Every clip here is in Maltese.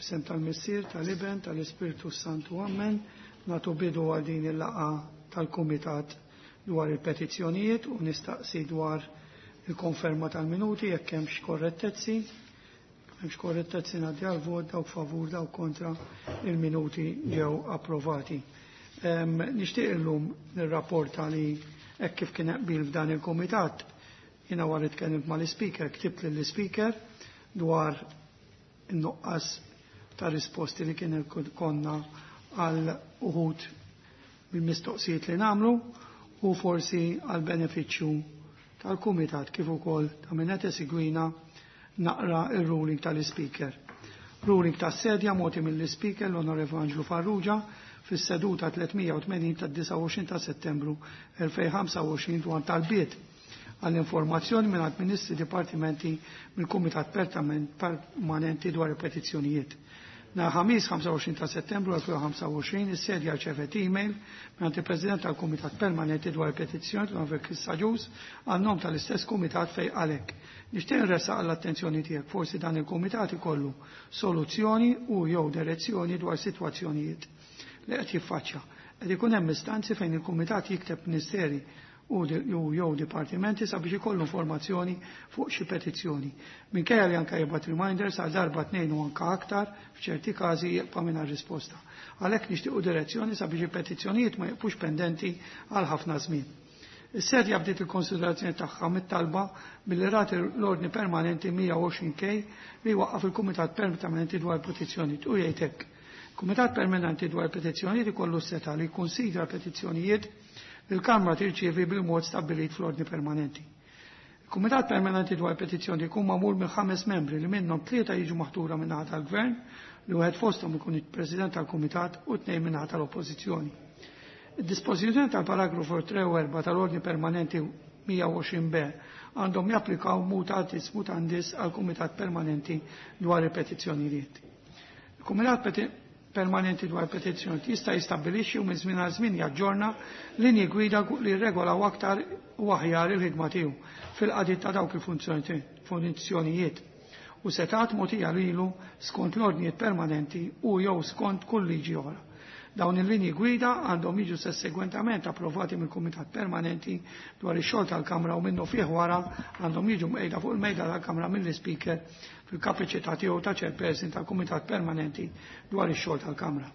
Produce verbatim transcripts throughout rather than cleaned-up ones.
F'isem tal-Missier, tal-Iben, tal-Ispirtu Santu, Amen. Nagħtu bidu għal din il-laqgħa tal-Kumitat dwar il-petizzjonijiet u nistaqsi dwar il-konferma tal-minuti jekk hemmx korrettezzi. Hemmx korrettezzi, ngħaddi għal vot. Dawk favur, dawk kontra, il-minuti ġew approvati. Nixtieq illum nirrapporta li hekk kif kien qbil f'dan il-kumitat, jiena wara tkellimt mal-ispeaker, ktibt lill-ispeaker dwar in-nuqqas ta' risposti li kien konna għal uħud mill-mistoqsijiet li nagħmlu, u forsi għal benefiċċju tal-kumitat kif ukoll ta' min qed isegwina naqra il-ruling tal-ispeaker. Ruling tas-sedja mogħti mill-ispeaker l-Onorevoli Anġlu Farrugia fis-seduta tliet mija u tmenin tad-disgħa u għoxrin ta' Settembru elfejn u ħamsa u għoxrin dwar talbiet għall-informazzjoni minn ministri, dipartimenti mill-Kumitat Permanenti dwar il-Petizzjonijiet. Nhar Ħamis ħamsa u għoxrin ta' Settembru elfejn u ħamsa u għoxrin is-sedja rċevet email minn il-President tal-Kumitat Permanenti dwar il-Petizzjoni, l-Onorevoli Chris Agius, għan-nom tal-istess kumitat, fejn qalek: "Nixtieq nressaq għall-attenzjoni tiegħek forsi dan il-kumitat ikollu soluzzjoni u jew direzzjoni dwar sitwazzjonijiet li qed jiffaċċja. Qed ikun hemm istanzi fejn il-kumitat jikteb ministeri u jew dipartimenti sabiex ikollu informazzjoni fuq xi petizzjoni. Minkejja li anke jibgħat reminders għal darba, tnejn u anke aktar, f'ċerti każi jibqa' mingħajr risposta. Għalhekk nixtiequ direzzjoni sabiex il-petizzjonijiet ma jibqux pendenti għal ħafna żmien." Is-sedja bdiet il-konsiderazzjoni tagħha mit-talba billi rat l-ordni permanenti mija u għoxrin K li waqqaf il-Kumitat Permanenti dwar Petizzjonijiet u jgħid hekk: "Kumitat Permanenti dwar Petizzjonijiet ikollu seta li jikkonsidra petizzjonijiet li l-Kamra tirċievi bil-mod stabbilit fl-ordni permanenti. Il-Kumitat Permanenti dwar Petizzjoni jkun magħmul minn ħames membri li minnhom tlieta jiġu maħtura minn naħa tal-Gvern, li wieħed fosthom ikun il-President tal-Kumitat, u tnejn minn naħa tal-Oppożizzjoni. Id-dispożizzjoni tal-paragrafu tlieta u erbgħa tal-ordni permanenti mija u għoxrin B għandhom japplikaw mutatis mutandis għal Kumitat Permanenti dwar il-Petizzjonijiet. Il-Kumitat Permanenti dwar Petizzjonijiet jista' jistabbilixxi u minn żmien għal żmien jaġġorna linji gwida li regolaw aktar u aħjar il-ħidma tiegħu fil-qadi ta' dawk il-funzjonijiet u setgħat mogħtija lilu skont l-ordnijiet permanenti u jew skont kull liġi oħra. Dawn il-linji gwida għandhom jiġu sussegwentament approvati mill-Kumitat Permanenti dwar ix-xogħol tal-Kamra u minnu fih wara għandhom jiġu mqegħda fuq il-mejda tal-Kamra mill-Ispeaker fil-kapaċità tiegħu ta' chairperson tal-Kumitat Permanenti dwar ix-xogħol tal-Kamra.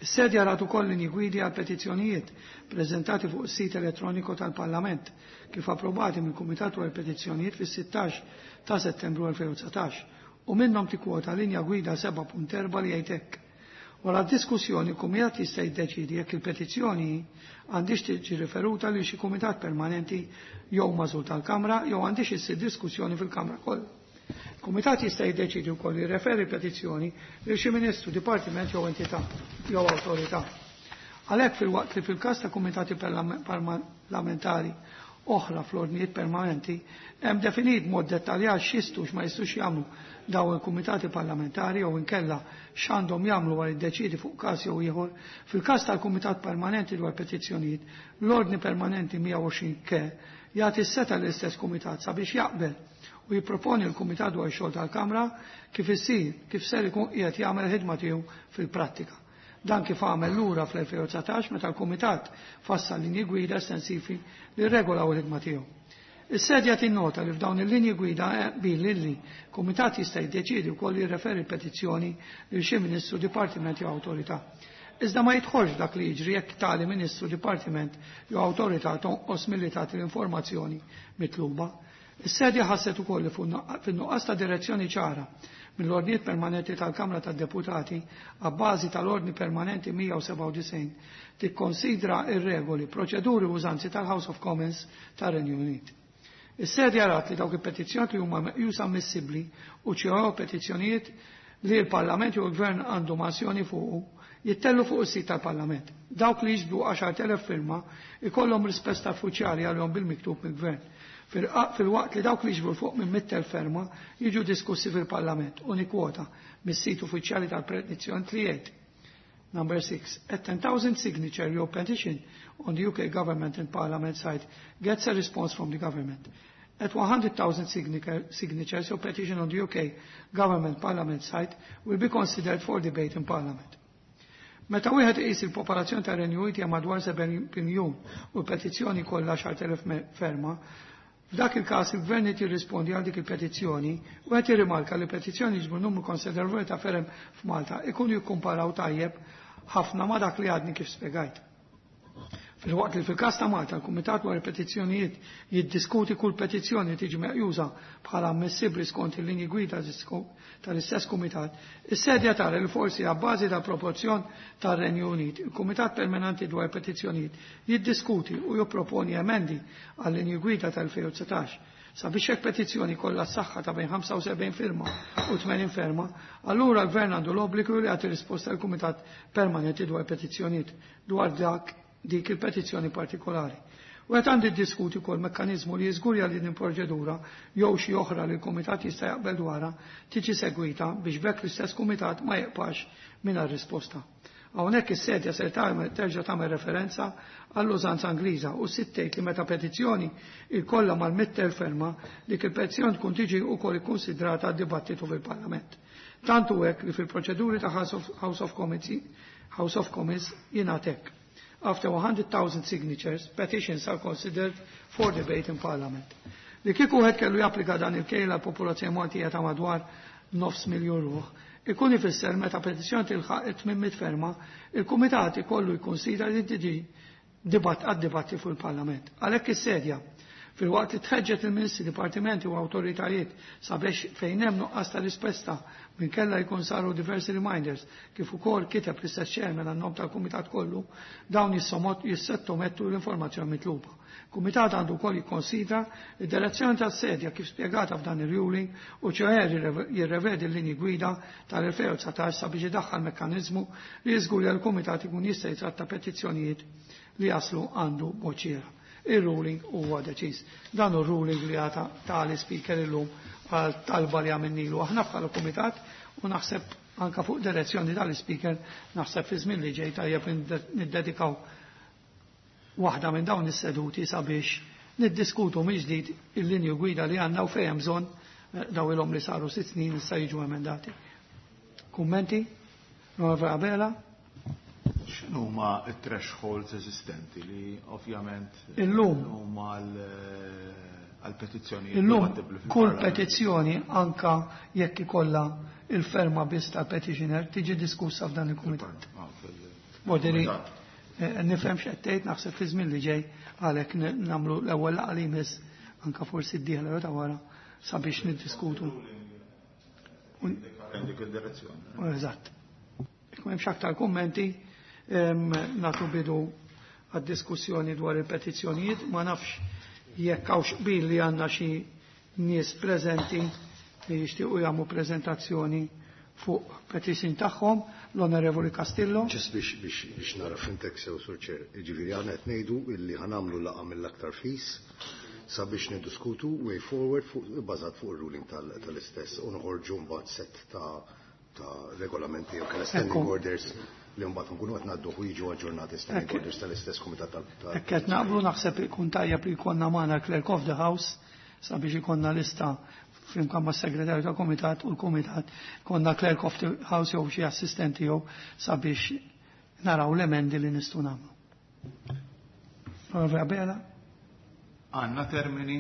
Is-sedja rat ukoll linji gwidi għal petizzjonijiet preżentati fuq is-sit elettroniku tal-Parlament kif approvati mill-Kumitat dwar Petizzjonijiet fis-sittax ta' Settembru elfejn u dsatax u minnhom tikkwota linja gwida sebgħa punt erbgħa li jgħid hekk: "Wara diskussjoni, il-kumitat jista' jiddeċidi jekk il-petizzjoni għandix tiġi riferuta lil xi kumitat permanenti jew magħżul tal-Kamra jew għandix issir diskussjoni fil-Kamra kollha. Il-kumitat jista' jiddeċidi wkoll jirreferi petizzjoni lil xi ministru, dipartiment jew entità jew awtorità. Għalhekk, filwaqt li fil-każ ta' kumitati parlamentari oħra fl-ordnijiet permanenti hemm definit mod dettaljat x'jistgħu, x'ma jistgħux jagħmlu dawn il-kumitati parlamentari jew inkella x'għandhom jagħmlu wara jiddeċidi fuq każ jew ieħor, fil-każ tal-Kumitat Permanenti dwar Petizzjonijiet, l-ordni permanenti mija u għoxrin K jagħti s-setgħa l-istess kumitat sabiex jaqbel u jipproponi l-Kumitat dwar xogħol tal-Kamra kif isir kif ser ikun qiegħed jagħmel ħidma tiegħu fil-prattika. Dan kif għamel lura fl-elfejn u dsatax meta l-Kumitat fassal linji gwida estensivi li regolaw il-ħidma tiegħu. Is-sedja tinnota li f'dawn il-linji gwida bil li kumitat jista' jiddeċiedi wkoll jirreferi petizzjoni lil xi ministru, dipartiment jew awtorità. Iżda ma jidħolx dak li jiġri jekk tali ministru, dipartiment jew awtorità tonqos milli tagħti l-informazzjoni mitluba. Is-sedja ħasset ukoll li fin-nuqqas ta' direzzjoni ċara mill-ordnijiet permanenti tal-Kamra tad-Deputati abbażi tal-ordni permanenti mija u sebgħa u disgħin tikkonsidra ir-regoli, proċeduri u użanzi tal-House of Commons tar-Renju Unit. Is-sedja rat li dawk il-petizzjoni huma meqjusa ammissibbli u ċjoew petizzjonijiet li l-Parlament jew il-Gvern għandu azzjoni fuqu jittellgħu fuq is-sit tal-Parlament. Dawk li jiġbdu għaxart elef firma ikollhom risposta uffiċjali għalihom bil-miktub mill-Gvern, filwaqt li dawk li jiġbru fuq minn mitt elf firma jiġu diskussi fil-Parlament, u nikwota mis-sit uffiċjali tal-petizzjoni li jgħid: "Number six, a ten thousand signature your petition on the U K government and Parliament site gets a response from the government. At one hundred thousand signatures, your petition on the U K Government Parliament site will be considered for debate in Parliament. Meta wieħed iqis il-popolazzjoni tar-Renju Unit hija madwar seba' miljun u l-petizzjoni kollha għaxart elef ferma, f'dak il-każ il-gvern qed jirrispondi għal dik il-petizzjoni u qed jirrimarka li petizzjoni jiġbru numru konsiderevoli ta' ferem f'Malta ikunu jikkumparaw tajjeb ħafna ma' dak li għadni kif spjegajt. Filwaqt li fil-każ ta' Malta l-Kumitat dwar il-Petizzjonijiet jiddiskuti kull petizzjoni tiġi meqjusa bħala ammissibbli skont il-linji gwida tal-istess kumitat, is-sedja tara li forsi abbażi ta' proporzjon tar-Renju Unit, il-Kumitat Permanenti dwar Petizzjonijiet jiddiskuti u jipproponi emendi għal-linji gwida tal-elfejn u dsatax sabiex hekk petizzjoni kollha s-saħħa ta' bejn ħamsa u sebgħin firma u tmenin ferma, allura l-Gvern għandu l-obbligu li jagħti risposta l Kumitat Permanenti dwar Petizzjonijiet dwar dak dik il-petizzjoni partikolari. U qed għandi diskuti kol mekkaniżmu li jiżgurja li din proċedura jew xi oħra li l-kumitat jista' jaqbel dwarha tiġi segwita biex b'hekk l-istess kumitat ma jibqax mingħajr risposta. Hawnhekk is-sedja se terġa' tagħmel referenza għall-użanza Ingliża u sittejt li meta petizzjoni ikollha mal-mitt elf ferma, dik il-petizzjoni tkun tiġi wkoll ikkunsidrata għad-dibattitu fil-Parlament. Tantu hekk li fil-proċeduri ta' House of Commons House of Commons jingħad hekk: "After one hundred thousand signatures, petitions are considered for debate in Parliament." Li kieku wieħed kellu japplika dan il-kejl għal popolazzjoni Maltija ta' madwar nofs miljon ruħ, ikun ifisser meta petizzjoni tilħaq tmien mitt ferma, il-Kumitat ikollu jikkonsidra li tiġi dibat għad-dibatti fuq il-Parlament. Għalhekk is-sedja, filwaqt li tħeġġet il-ministri, dipartimenti u awtoritajiet sabiex fejn hemm nuqqas ta' risposta minn kella jkun saru diversi reminders kif ukoll kiteb l-istess chairman għan-nom tal-kumitat kollu, dawn jissottomettu l-informazzjoni mitluba. Kumitat għandu wkoll jikkonsidra id-direzzjoni tas-sedja kif spjegata f'dan il-ruling u ċoħe jirrevedi l-linji gwida tal-elfejn u dsatax sabiex idaħħal mekkaniżmu li jiżgura l-kumitat ikun jista' jitratta petizzjonijiet li jaslu għandu boċiera. Il-ruling huwa deċiż. Dan hu ruling li għata tal-speaker illum għal talba li għamilnilu aħna bħala kumitat u naħseb anka fuq direzzjoni tal-speaker, naħseb fi żmien li ġej tajjeb niddedikaw waħda minn dawn is-seduti sabiex niddiskutu mill-ġdid il-linju gwida li għandna u fejn hemm bżonn eh, daw ilhom li saru sitt snin issa jiġu emendati. Kummenti? Onorevole Abela? X'inhuma t-thresholds eżistenti li ovvjament Illum. Huma għal petizzjonijiet Illum dibattibbli kull fil-Parlament? Petizzjoni, anka jekk ikollha il-ferma biss tal-petitioner, tiġi diskussa f'dan il-kumitat. Ah, fil- Voderi, Kumitat. eh, nifhem x'qed tgħid, naħseb fi żmien li ġej għalhekk nagħmlu l-ewwel laqgħa li jmiss, anka forsi d-dieħla jew ta' wara, sabiex niddiskutu. Dik il-direzzjoni. Eżatt. Jekk m'hemmx aktar kummenti, em, nagħtu bidu għad-diskussjoni dwar il-petizzjonijiet. Ma nafx jekk hawnx qbil li għandna xi nies preżenti li jixtiequ jagħmlu preżentazzjoni fuq petition tagħhom, l-Onorevoli Castillo. Ġis biex biex biex nara fhimtek sew, Sur Chair, ġifieri aħna qed ngħidu illi ħa nagħmlu laqgħa mill-aktar fis sabiex niddiskutu way forward fuq bbażat fuq ir-ruling tal- tal-istess u noħorġu mbagħad set ta' ta' regolamenti jew kellha standing Ekku. orders li mbagħad nkunu qed ngħaddu u jiġu aġġornati standing Ekk. orders tal-istess kumitat tal- tal- Hekk qed naqblu, naħseb ikun tajjeb li jkollna magħna Clerk of the House sabiex ikollna lista flimkien ma' segretarju tal komitat u l-kumitat, konna Clerk of the House jew xi assistenti jew sabiex naraw l-emendi li nistgħu nagħmlu. Onorevole Abela? Għandna termini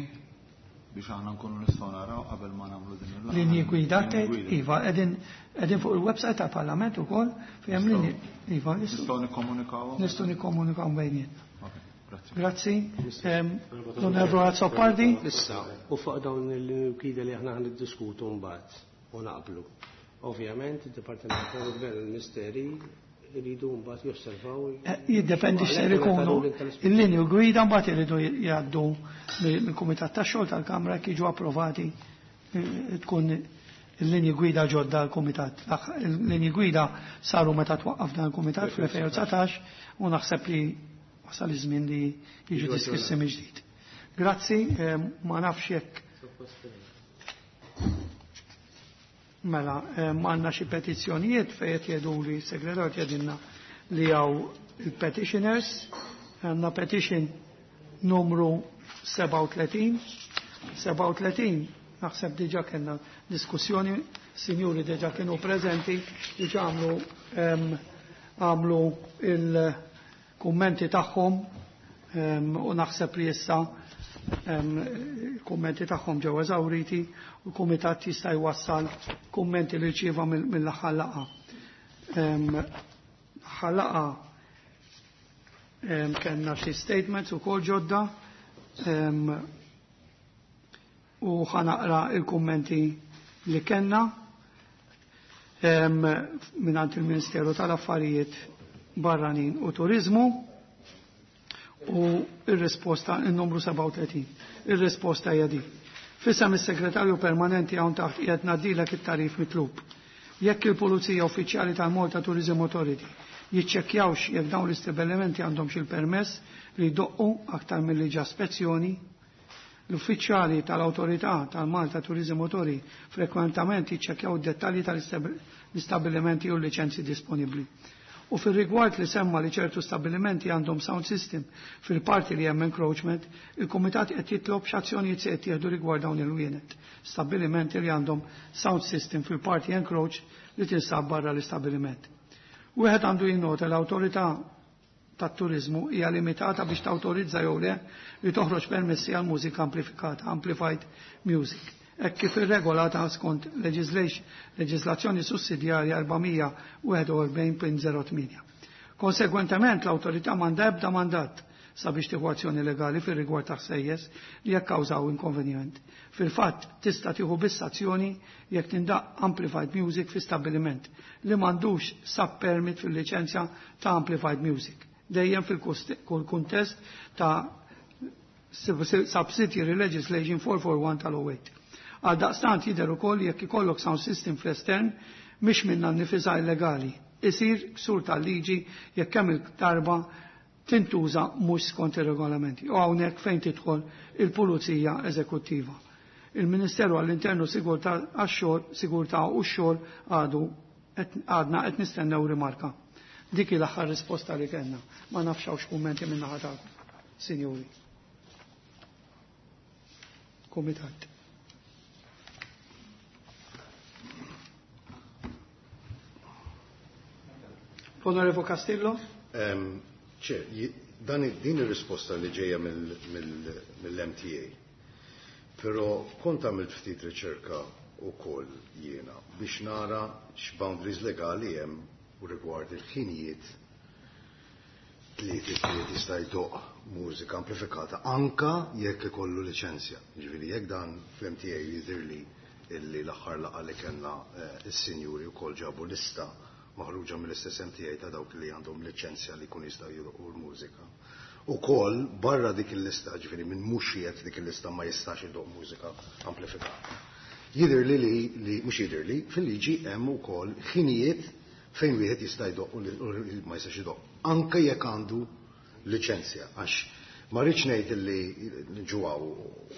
biex aħna nkunu nistgħu naraw qabel ma nagħmlu din il-laqgħa? Linji gwida Linji tgħid? gwida. Iva, qegħdin qegħdin fuq il-website tal-Parlament ukoll fejn hemm linji. Iva, nistgħu Nistgħu nikkomunikaw? Nistgħu nikkomunikaw bejnietna. Ok, grazzi. Grazzi. Em, L-Onorevole Azzopardi? Issa, u fuq dawn il-gwida li aħna niddiskutu mbagħad u naqblu. Ovvjament, il-Dipartiment tal-Gvern u l-Ministeri jridu mbagħad josservaw. Eh, Jiddependi x'ser ikunu il-linju gwida, mbagħad iridu jgħaddu mill-Kumitat tax-xogħol tal-Kamra, jekk jiġu approvati eh, tkun il-linji gwida ġodda l-Kumitat. Il-linji gwida saru meta twaqqaf dan il-Kumitat fl-elfejn u dsatax u naħseb li wasal iż-żmien li jiġu diskussi mill-ġdid. Grazzi, eh, ma nafx jekk mela, eh, għandna xi petizzjonijiet fejn qed jgħidu li segretarju jgħidilna li hawn il-petitioners, għandna petition numru sebgħa u tletin sebgħa u tletin naħseb diġà kellna diskussjoni, sinjuri diġà kienu preżenti, diġà għamlu għamlu il-kummenti tagħhom u naħseb li issa il-kummenti tagħhom ġew eżawriti u l-kumitat jista' jwassal kummenti li rċieva mill-aħħar laqgħa. L-aħħar laqgħa kellna xi statements ukoll ġodda u ħa naqra il-kummenti li kellna mingħand il-Ministeru tal-Affarijiet Barranin u Turizmu u il-risposta il-numru sebgħa u tletin. Il-risposta hija din. F'isem is-segretarju permanenti hawn taħt qiegħed ngħaddilek it-tagħrif mitlub. Jekk il-Pulizija Uffiċjali tal-Malta Tourism Authority jiċċekkjawx jekk dawn l-istabbilimenti għandhom xi permess li jdoqqu aktar milli ġa spezzjoni, l-uffiċjali tal-Awtorità tal-Malta Tourism Authority frekwentament jiċċekkjaw id-dettalji tal-istabbilimenti u l-liċenzji disponibbli. U fil-rigward li semma li ċertu stabilimenti għandhom sound system fil-parti li hemm encroachment, il-Kumitat qed jitlob x'azzjonijiet se qed jieħdu rigward dawn il-wienet. Stabilimenti li għandhom sound system fil-parti encroach li tinsab barra l-istabiliment. Wieħed għandu jinnota l-awtorità tat-turizmu hija limitata biex tawtorizza jew le li toħroġ permessi għal mużika amplifikata, amplified music, hekk kif irregolata skont leġislazzjoni sussidjarja erba' mija u wieħed u erbgħin punt żero tmienja. Konsegwentement, l-awtorità m'għandha ebda mandat sabiex tieħu azzjoni legali fir-rigward ta' ħsejjes li jikkawżaw inkonvenjent. Fil-fatt, tista' tieħu biss azzjoni jekk tindaq amplified music fi stabbiliment li m'għandux sub-permit fil-liċenzja ta' amplified music. Dejjem fil-kuntest ta' Subsidiary Legislation erba' mija u erbgħa u erbgħin tal-tmienja u. Għal daqstant jidher ukoll jekk ikollok sound system fl-estern mhix minna nnifisha illegali. Isir ksur tal-liġi jekk kemm il-darba tintuża mhux skont ir-regolamenti. U hawnhekk fejn tidħol il-Pulizija Eżekuttiva. Il-Ministeru għall-Internu Sigurtà għax-xogħol, Sigurtà u x-xogħol għadu għadna qed nistennew rimarka. Dik l-aħħar risposta li kellna. Ma nafx hawnx kummenti minn naħa tagħkom, sinjuri. Kumitat. Onorevole Castillo? Ċe, dan din ir-risposta li ġejja mill-M T A. Però kont għamilt ftit riċerka ukoll jiena biex nara x'boundaries legali hemm u rigward il-ħinijiet li jista' jdoq mużika amplifikata anka jekk ikollu liċenzja. Ġifieri jekk dan fl-M T A jidhirli illi l-aħħar laqgħa li kellna eh, is-sinjuri wkoll ġabu lista maħruġa mill-istess M T A ta' dawk li għandhom liċenzja li jkun jistgħu jdoqqu l-mużika. Ukoll barra dik il-lista, ġifieri minn mhux qiegħed dik il-lista ma jistax idoq mużika amplifikata. Jidher li li, li mhux jidher li fil-liġi hemm ukoll ħinijiet fejn wieħed jista' jdoq u li ma jistax idoq. Anke jekk għandu liċenzja, għax ma rridx ngħid li ġuwaw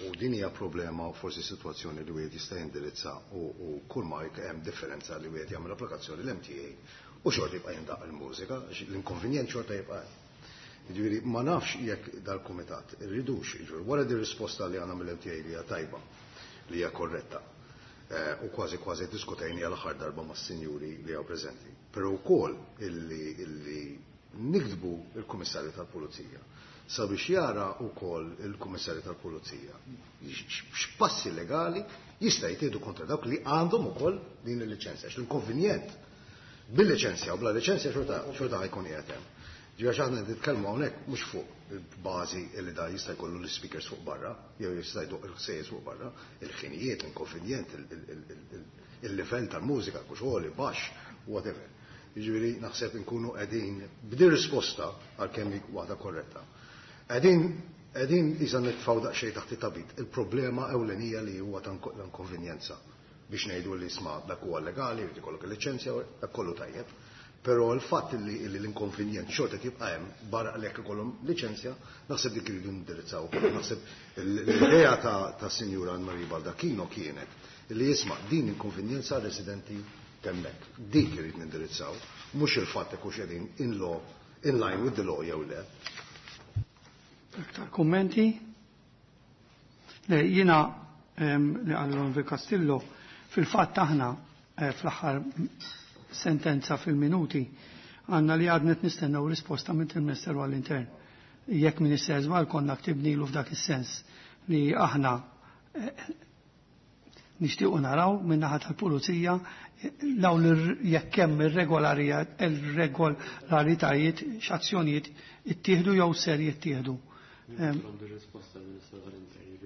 u din hija problema u forsi sitwazzjoni li wieħed jista' jindirizza u, u kull ma hemm differenza li wieħed jagħmel applikazzjoni l-M T A u xorta jibqa' jindaq il-mużika, għax l-inkonvenjent xorta jibqa' hemm. Jiġifieri ma nafx jekk dal-kumitat irridux, jiġifieri wara di risposta li għandna mill-M T A li hija tajba, li hija korretta, eh, u kważi kważi diskutejni għal aħħar darba mas-sinjuri li hawn preżenti. Però wkoll illi, illi niktbu il-Kummissarju tal-Pulizija sabiex jara wkoll il-Kummissarju tal-Pulizija x'passi legali jista' jtieħdu kontra dawk li għandhom ukoll din il-liċenzja. L-inkonvenjent bil-liċenzja u bla liċenzja xorta xorta ħa jkun qiegħed hemm. Ġifieri aħna nitkellmu hawnhekk mhux fuq il-bażi li da jista' jkollu l-speakers fuq barra, jew jista' jdoq il-ħsejjes fuq barra, il-ħinijiet, l-inkonvenjent, il-livell tal-mużika, kux għoli, baxx, whatever. Jiġifieri naħseb inkunu qegħdin b'di risposta għal kemm waħda korretta. Qegħdin qegħdin iżda nitfgħu daqsxejn taħt it-tapit il-problema ewlenija li huwa ta' inkonvenjenza biex ngħidu li isma' dak huwa legali, jrid ikollok il-liċenzja, dak kollu tajjeb. Però l-fatt li l-inkonvenjent xorta tibqa' hemm barra li jekk ikollhom liċenzja, naħseb dik iridu nindirizzaw. Naħseb l-idea ta' ta' Sinjura Anne-Marie Baldacchino kienet li jisma' din inkonvenjenza residenti temmek. Dik irid nindirizzaw, mhux il-fatt jekk hux qegħdin in law in line with the law jew le. Aktar kummenti? Le, jiena li għallon vi Castillo, fil-fatt aħna eh, fl-aħħar sentenza fil-minuti għandna li għadnet nistennew risposta minn il-Ministeru għall-Intern. Jekk Minister żball konna ktibnilu f'dak is-sens li aħna eh, nixtiequ naraw min-naħa tal-pulizija dawn jekk hemm irregolaritajiet x'azzjonijiet ittieħdu jew ser jittieħdu.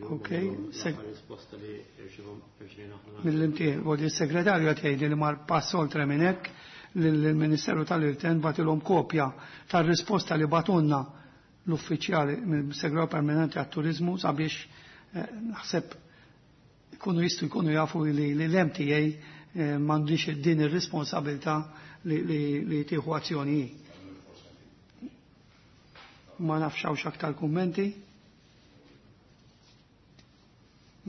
Ok, mill-imtieħ, il-segretarju qed jgħidli li mar pass oltre minn hekk lill-Ministeru tal-Intern bagħtilhom kopja tar-risposta li batunna l-uffiċjali mill-Segretarju Permanenti għat-Turiżmu sabiex naħseb jkunu jistgħu jkunu jafu li l-M T A m'għandix din ir-responsabilità li tieħu azzjoni. Ma nafx hawnx aktar kummenti.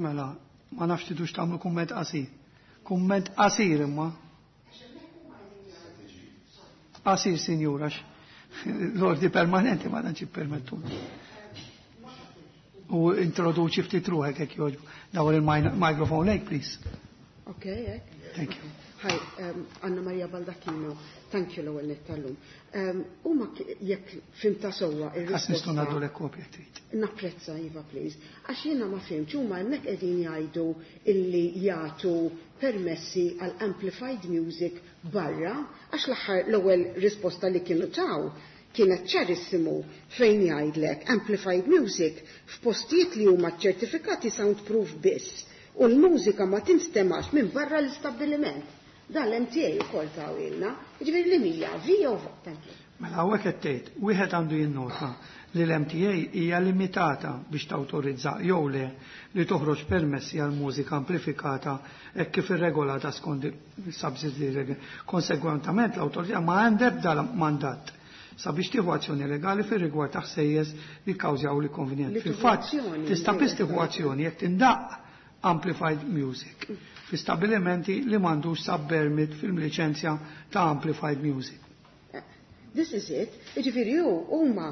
Mela, ma nafx tidux tagħmlu kumment qasir. Kumment qasir imma. Qasir, sinjura, l-ordi permanenti ma tantx ippermettu. U introduċi ftit ruħek hekk jogħġbu. Dawar il-microphone lejk, please. Okay, hekk. Thank you. Hi, um, Anna Maria Baldacchino, thank you l-ewwel nett tal-lum. Um, Huma jekk fhimtha sewwa ir-risposta. Nistgħu ngħaddu l kopja trid. Napprezza, Iva, please. Għax jiena ma fhimtx, huma hemmhekk qegħdin jgħidu illi jagħtu permessi għal amplified music barra, għax l-aħħar l-ewwel risposta li kienu taw kienet ċarissimu fejn jgħidlek amplified music f'postijiet li huma ċertifikati soundproof biss u l-mużika ma tinstemax minn barra l-istabbiliment. Dan l-M T A ukoll tawilna, jiġifieri li mija via u thank you. Mela hawnhekk qed tgħid, wieħed għandu jinnota li l-M T A hija limitata biex tawtorizza jew le li toħroġ permessi għal mużika amplifikata hekk kif irregolata skont il-subsidy. Konsegwentament l-awtorità ma għandha ebda mandat sabiex tieħu azzjoni legali fir-rigward ta' ħsejjes li kkawżjaw l-inkonvenjent. Fil-fatt tista' biss tieħu azzjoni jekk tindaq amplified music fi stabilimenti li m'għandux sub-permit fil-liċenzja ta' amplified music. This is it. Jiġifieri hu huma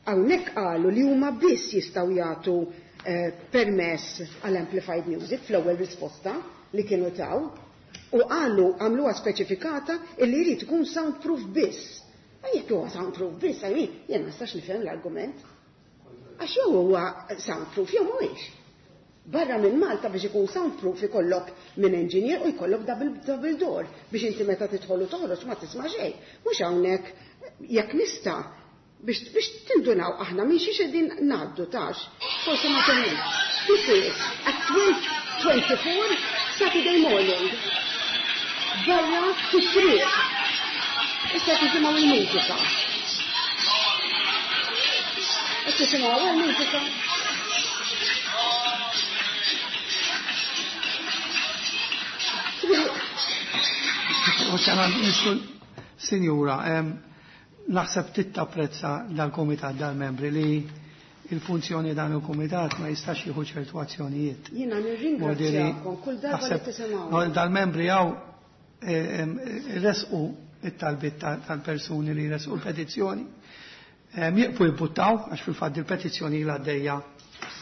hawnhekk qalu li huma biss jistgħu jagħtu eh, permess għal amplified music fl-ewwel risposta li kienu taw u qalu għamluha speċifikata illi jrid ikun soundproof biss. Jekk huwa soundproof biss, I mean, jien ma nistax nifhem l-argument. Għax jew huwa soundproof jew mhuwiex. Barra minn Malta biex ikun soundproof ikollok minn engineer u jkollok double, double door biex inti meta tidħol u toħroġ ma tisma' xejn. Mhux hawnhekk jekk nista' biex, biex tindunaw aħna minn xiex qegħdin ngħaddu tax. Forsi ma temmux. This is at twelve twenty-four Saturday morning. Barra fit-triq. Issa tisimgħu il-mużika. Qed tisimgħu il-mużika. U ċana nistu, sinjura, naħseb tittapprezza dal-komitat dal-membri li il-funzjoni dan il-komitat ma jistax jieħu ċertu azzjonijiet. Jiena nirringrazzjakom kull darba li tisimgħu. Dal-membri hawn resqu it-talbit tal-persuni li resqu l-petizzjoni. Jieqfu jibbuttaw, għax fil-fatt il-petizzjoni l għaddejja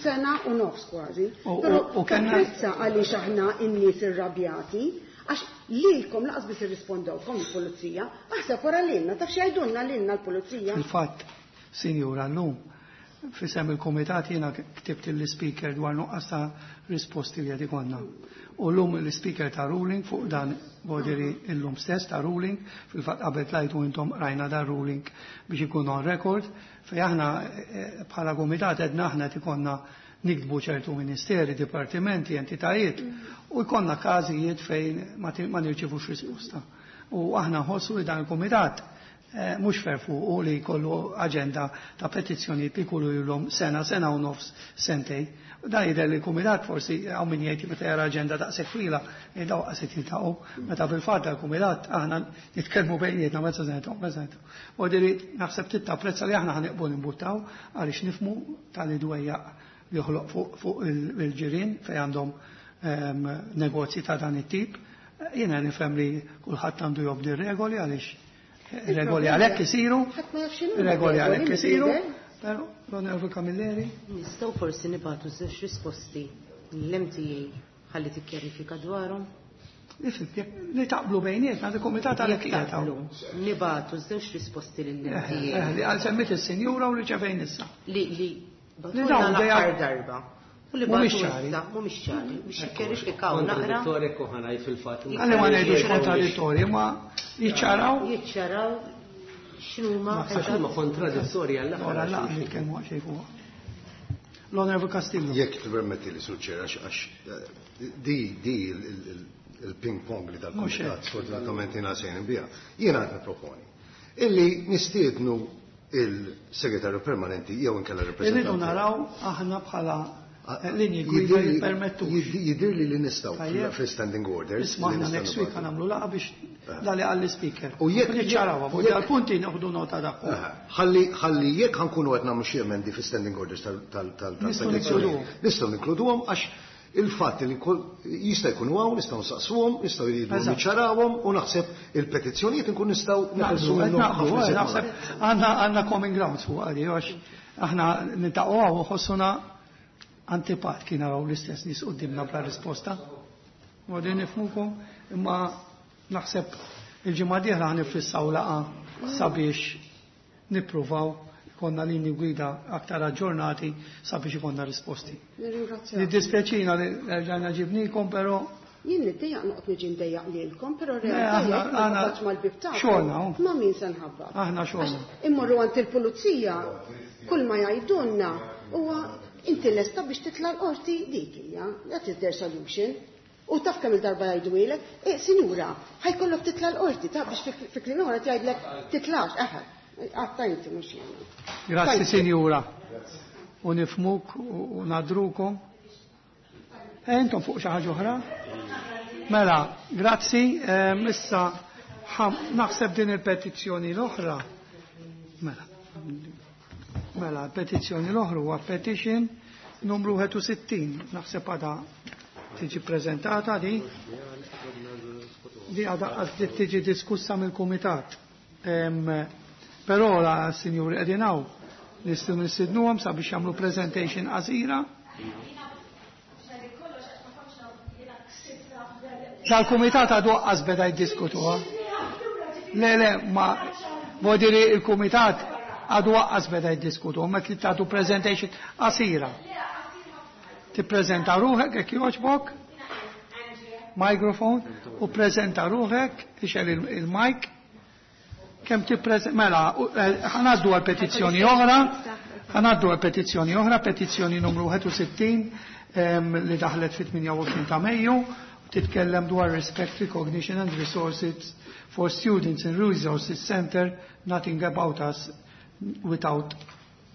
sena u nofs kważi. Però tapprezza għaliex aħna n-nies irrabjati, għax lilkom lanqas biss irrispondewkom il-pulizija, aħseb wara lilna, taf x'jgħidulna lilna l-pulizija. Fil-fatt, sinjura, llum f'isem il-komitat jiena ktibt l-speaker dwar nuqqas ta' risposti li qed ikollna. U llum l-speaker ta ruling fuq dan bodiri illum stess ta ruling, fil-fatt qabel tlajtu intom rajna dan ruling biex ikun on record, fej aħna eh, bħala komitat edna aħna ikollna niktbu ċertu ministeri, dipartimenti, entitajiet u jkollna każijiet fejn ma nirċivux risposta. U aħna nħossu li dan il-komitat eh, mhux fair fuq u li jkollu aġenda ta' petizzjonijiet li jkollu ilhom sena, sena u nofs, sentej. U dan jidher li l-kumitat forsi hawn min jgħid meta jara aġenda daqshekk twila, jgħid qas jiltaqgħu, meta fil-fatt dal-kumitat aħna nitkellmu bejnietna meta se niltaqgħu, meta niltaqgħu. U diri naħseb tittapprezza li aħna ħa nibqgħu nimbuttaw għaliex nifhmu tal-idwejjaq li joħloq fuq il-ġirien fejn għandhom ehm, negozji ta' dan it-tip. Jiena nifhem li kulħadd għandu jobdi regoli għaliex regoli għalhekk isiru, regoli għalhekk isiru, Però, l-Onorevole Camilleri? Nistgħu forsi nibagħtu żewġ risposti l-M T A ħalli tikkjarifika dwarhom. Nifhem, jekk li taqblu bejnietna, il-komitat għalhekk Jekk qiegħed hawn. taqblu, nibagħtu żewġ risposti Eh, lill-M T A eh, li għal semmit il-sinjura u li ċevejn issa. Li li Li bagħtulna dawn l-aħħar dejja- darba. U li Mhumiex bagħtu ċari. issa mhumiex ċari biex jikkjarifikaw naqra. Kontradittorji kuħanaj fil-fatt. Għalli ma ngħidux kontradittorji, ma jiċċaraw. Jiċċaraw x'inhuma. Għax huma kontradittorji Ora għall-aħħar. la nitkellmu xejn fuq. L-Onorevole Castillo. Jekk tippermetti li, Sur Chair, għax għax eh, di di il- il- il-ping pong li Mhux dal-komitat hekk. sfortunatament jiena sejn biha. Jiena qed niproponi illi nistiednu il-segretarju permanenti jew inkella Irridu rappresentanti. naraw aħna bħala eh, linji gwida jippermettu. Jidir li li nistgħu Tajjeb. fil-standing orders. Isma' li aħna nistgħu next week nibagħtu. nagħmlu laqgħa biex dali għall-speaker. U jekk- Niċċarawha, fuq jekk- dal-punti nieħdu nota dak. Aha. Ħalli ħalli jekk ħankunu qed nagħmlu xi emendi fi standing orders tal tal tal Nistgħu tal-petizzjoni. ninkluduhom. Nistgħu ninkluduhom għax il-fatt li kull- jista' jkunu hawn, nistgħu nsaqsuhom, nistgħu jridu Eżatt. niċċarawhom u naħseb il-petizzjonijiet inkun nistgħu neħelsu Naqblu, qed minnhom naqblu, ħafna eh, iżjed naħseb malajr. għandna għandna common grounds fuq għadi, għax aħna niltaqgħu hawn u ħossuna antipat kien naraw l-istess nies qudiemna bla risposta. U din nifhmukom, imma naħseb il-ġimgħa dieħla ħa nifissaw laqgħa sabiex nippruvaw ikonna linji gwida aktar aġġornati sabiex ikonna risposti. Nirringrazzjak. Niddispjaċina li rġajna ġibnikom, però Jien niddejjaq noqgħod niġi ndejjaq lilkom, però Le, realtà aħna- jekk ma aħna- nħabbatx mal-bib tagħkom. xogħolna, hu. Ma' min se nħabbat? Aħna xogħolna. Għax immorru għand il-pulizija, kull ma jgħidulna huwa inti lesta biex titla' l-qorti, dik hija, that is their solution. U taf kemm il-darba jgħidu eh, sinjura, ħa jkollok titla' l-qorti, ta' biex fi- fi kliem oħra tgħidlek titlax, eħe, għatta inti mhux jiena. Grazzi, Thank you. sinjura. U nifhmuk u u nadrukom. E intom fuq xi ħaġa oħra? Mela, grazzi. Ehm, Issa ħam- naħseb din il-petizzjoni l-oħra. Mela. Mela, petizzjoni l-oħra huwa petition numru wieħed u sittin. Naħseb għada tiġi prezentata di. Di għada għad tiġi diskussa mill-kumitat. Ehm, Però la sinjuri qegħdin hawn nistgħu nistidnuhom sabiex jagħmlu presentation qasira. Dal-kumitat għadu għas beda jiddiskutuha. Le, le, ma vodiri il-kumitat għadu għas beda jiddiskutuha, ma trid tagħtu presentation qasira. Tippreżenta ruħek jekk jogħġbok, microphone, u preżenta ruħek, ixgħel il-mic, kemm tippreżenta, mela, u- eh, ħa ngħaddu għal petizzjoni oħra, ħa ngħaddu għal petizzjoni oħra, petizzjoni numru wieħed u sittin em, li daħlet fit-tmienja u għoxrin ta' Mejju, titkellem dwar respect, recognition and resources for students in resources center, nothing about us without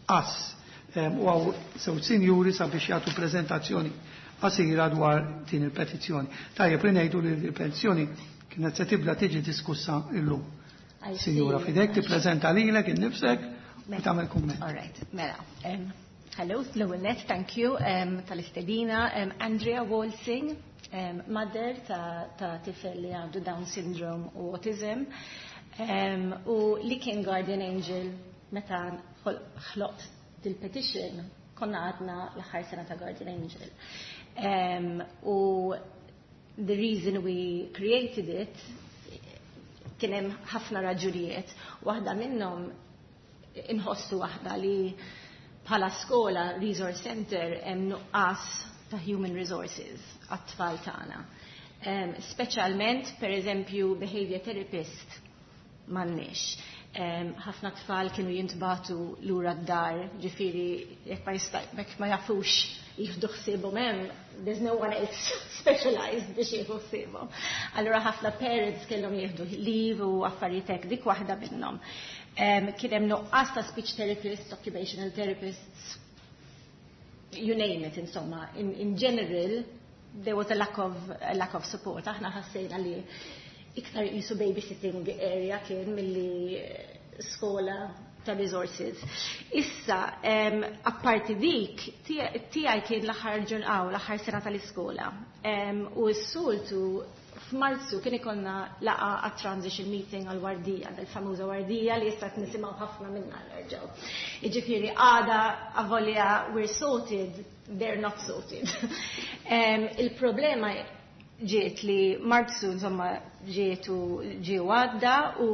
us. Em, U hawn żewġ sinjuri sabiex jagħtu prezentazzjoni qasira dwar din il-petizzjoni. Tajjeb li ngħidu li l-petizzjoni kienet se tibda tiġi diskussa illum. I see. Sinjura, fidek tippreżenta lilek innifsek u tagħmel kumment. All right, mela. Um, hello, l-ewwel net, thank you um, tal-istedina. Um, Andrea Walsing, um, mother ta', ta tifel li għandu Down syndrome u autism, um, u li kien guardian angel meta ħol- ħloqt dil-petition, konna għadna l-aħħar sena ta' guardian angel. Um, u the reason we created it kien hemm ħafna raġunijiet. Waħda minnhom inħossu waħda li bħala skola resource center hemm nuqqas ta' human resources għat-tfal tagħna. Um, speċjalment, per eżempju, behavior therapist m'għandniex. Um, ħafna tfal kienu jintbagħtu lura d-dar, ġifieri jekk ma jista' jekk ma jafux jieħdu ħsiebhom hemm, there's no one else specialized biex jieħu ħsiebhom. Allura ħafna parents kellhom jieħdu leave u affarijiet hekk, dik waħda minnhom. Um, kien hemm nuqqas ta' speech therapists, occupational therapists, you name it, insomma. In, in general, there was a lack of, a lack of support. Aħna ħassejna li iktar jisu babysitting area kien milli eh, skola ta' resources. Issa, um, apparti dik, tiegħi kien l-aħħar ġurnata, l-aħħar sena tal-iskola. Um, u s-soltu f'Marzu kien ikollna laqgħa għat transition meeting għal wardija, dal-famuża wardija li issa qed nisimgħu ħafna minna nerġgħu. Jiġifieri għada avolja we're sorted, they're not sorted. um, il-problema ġiet li Marzu insomma ġiet u ġie għadda u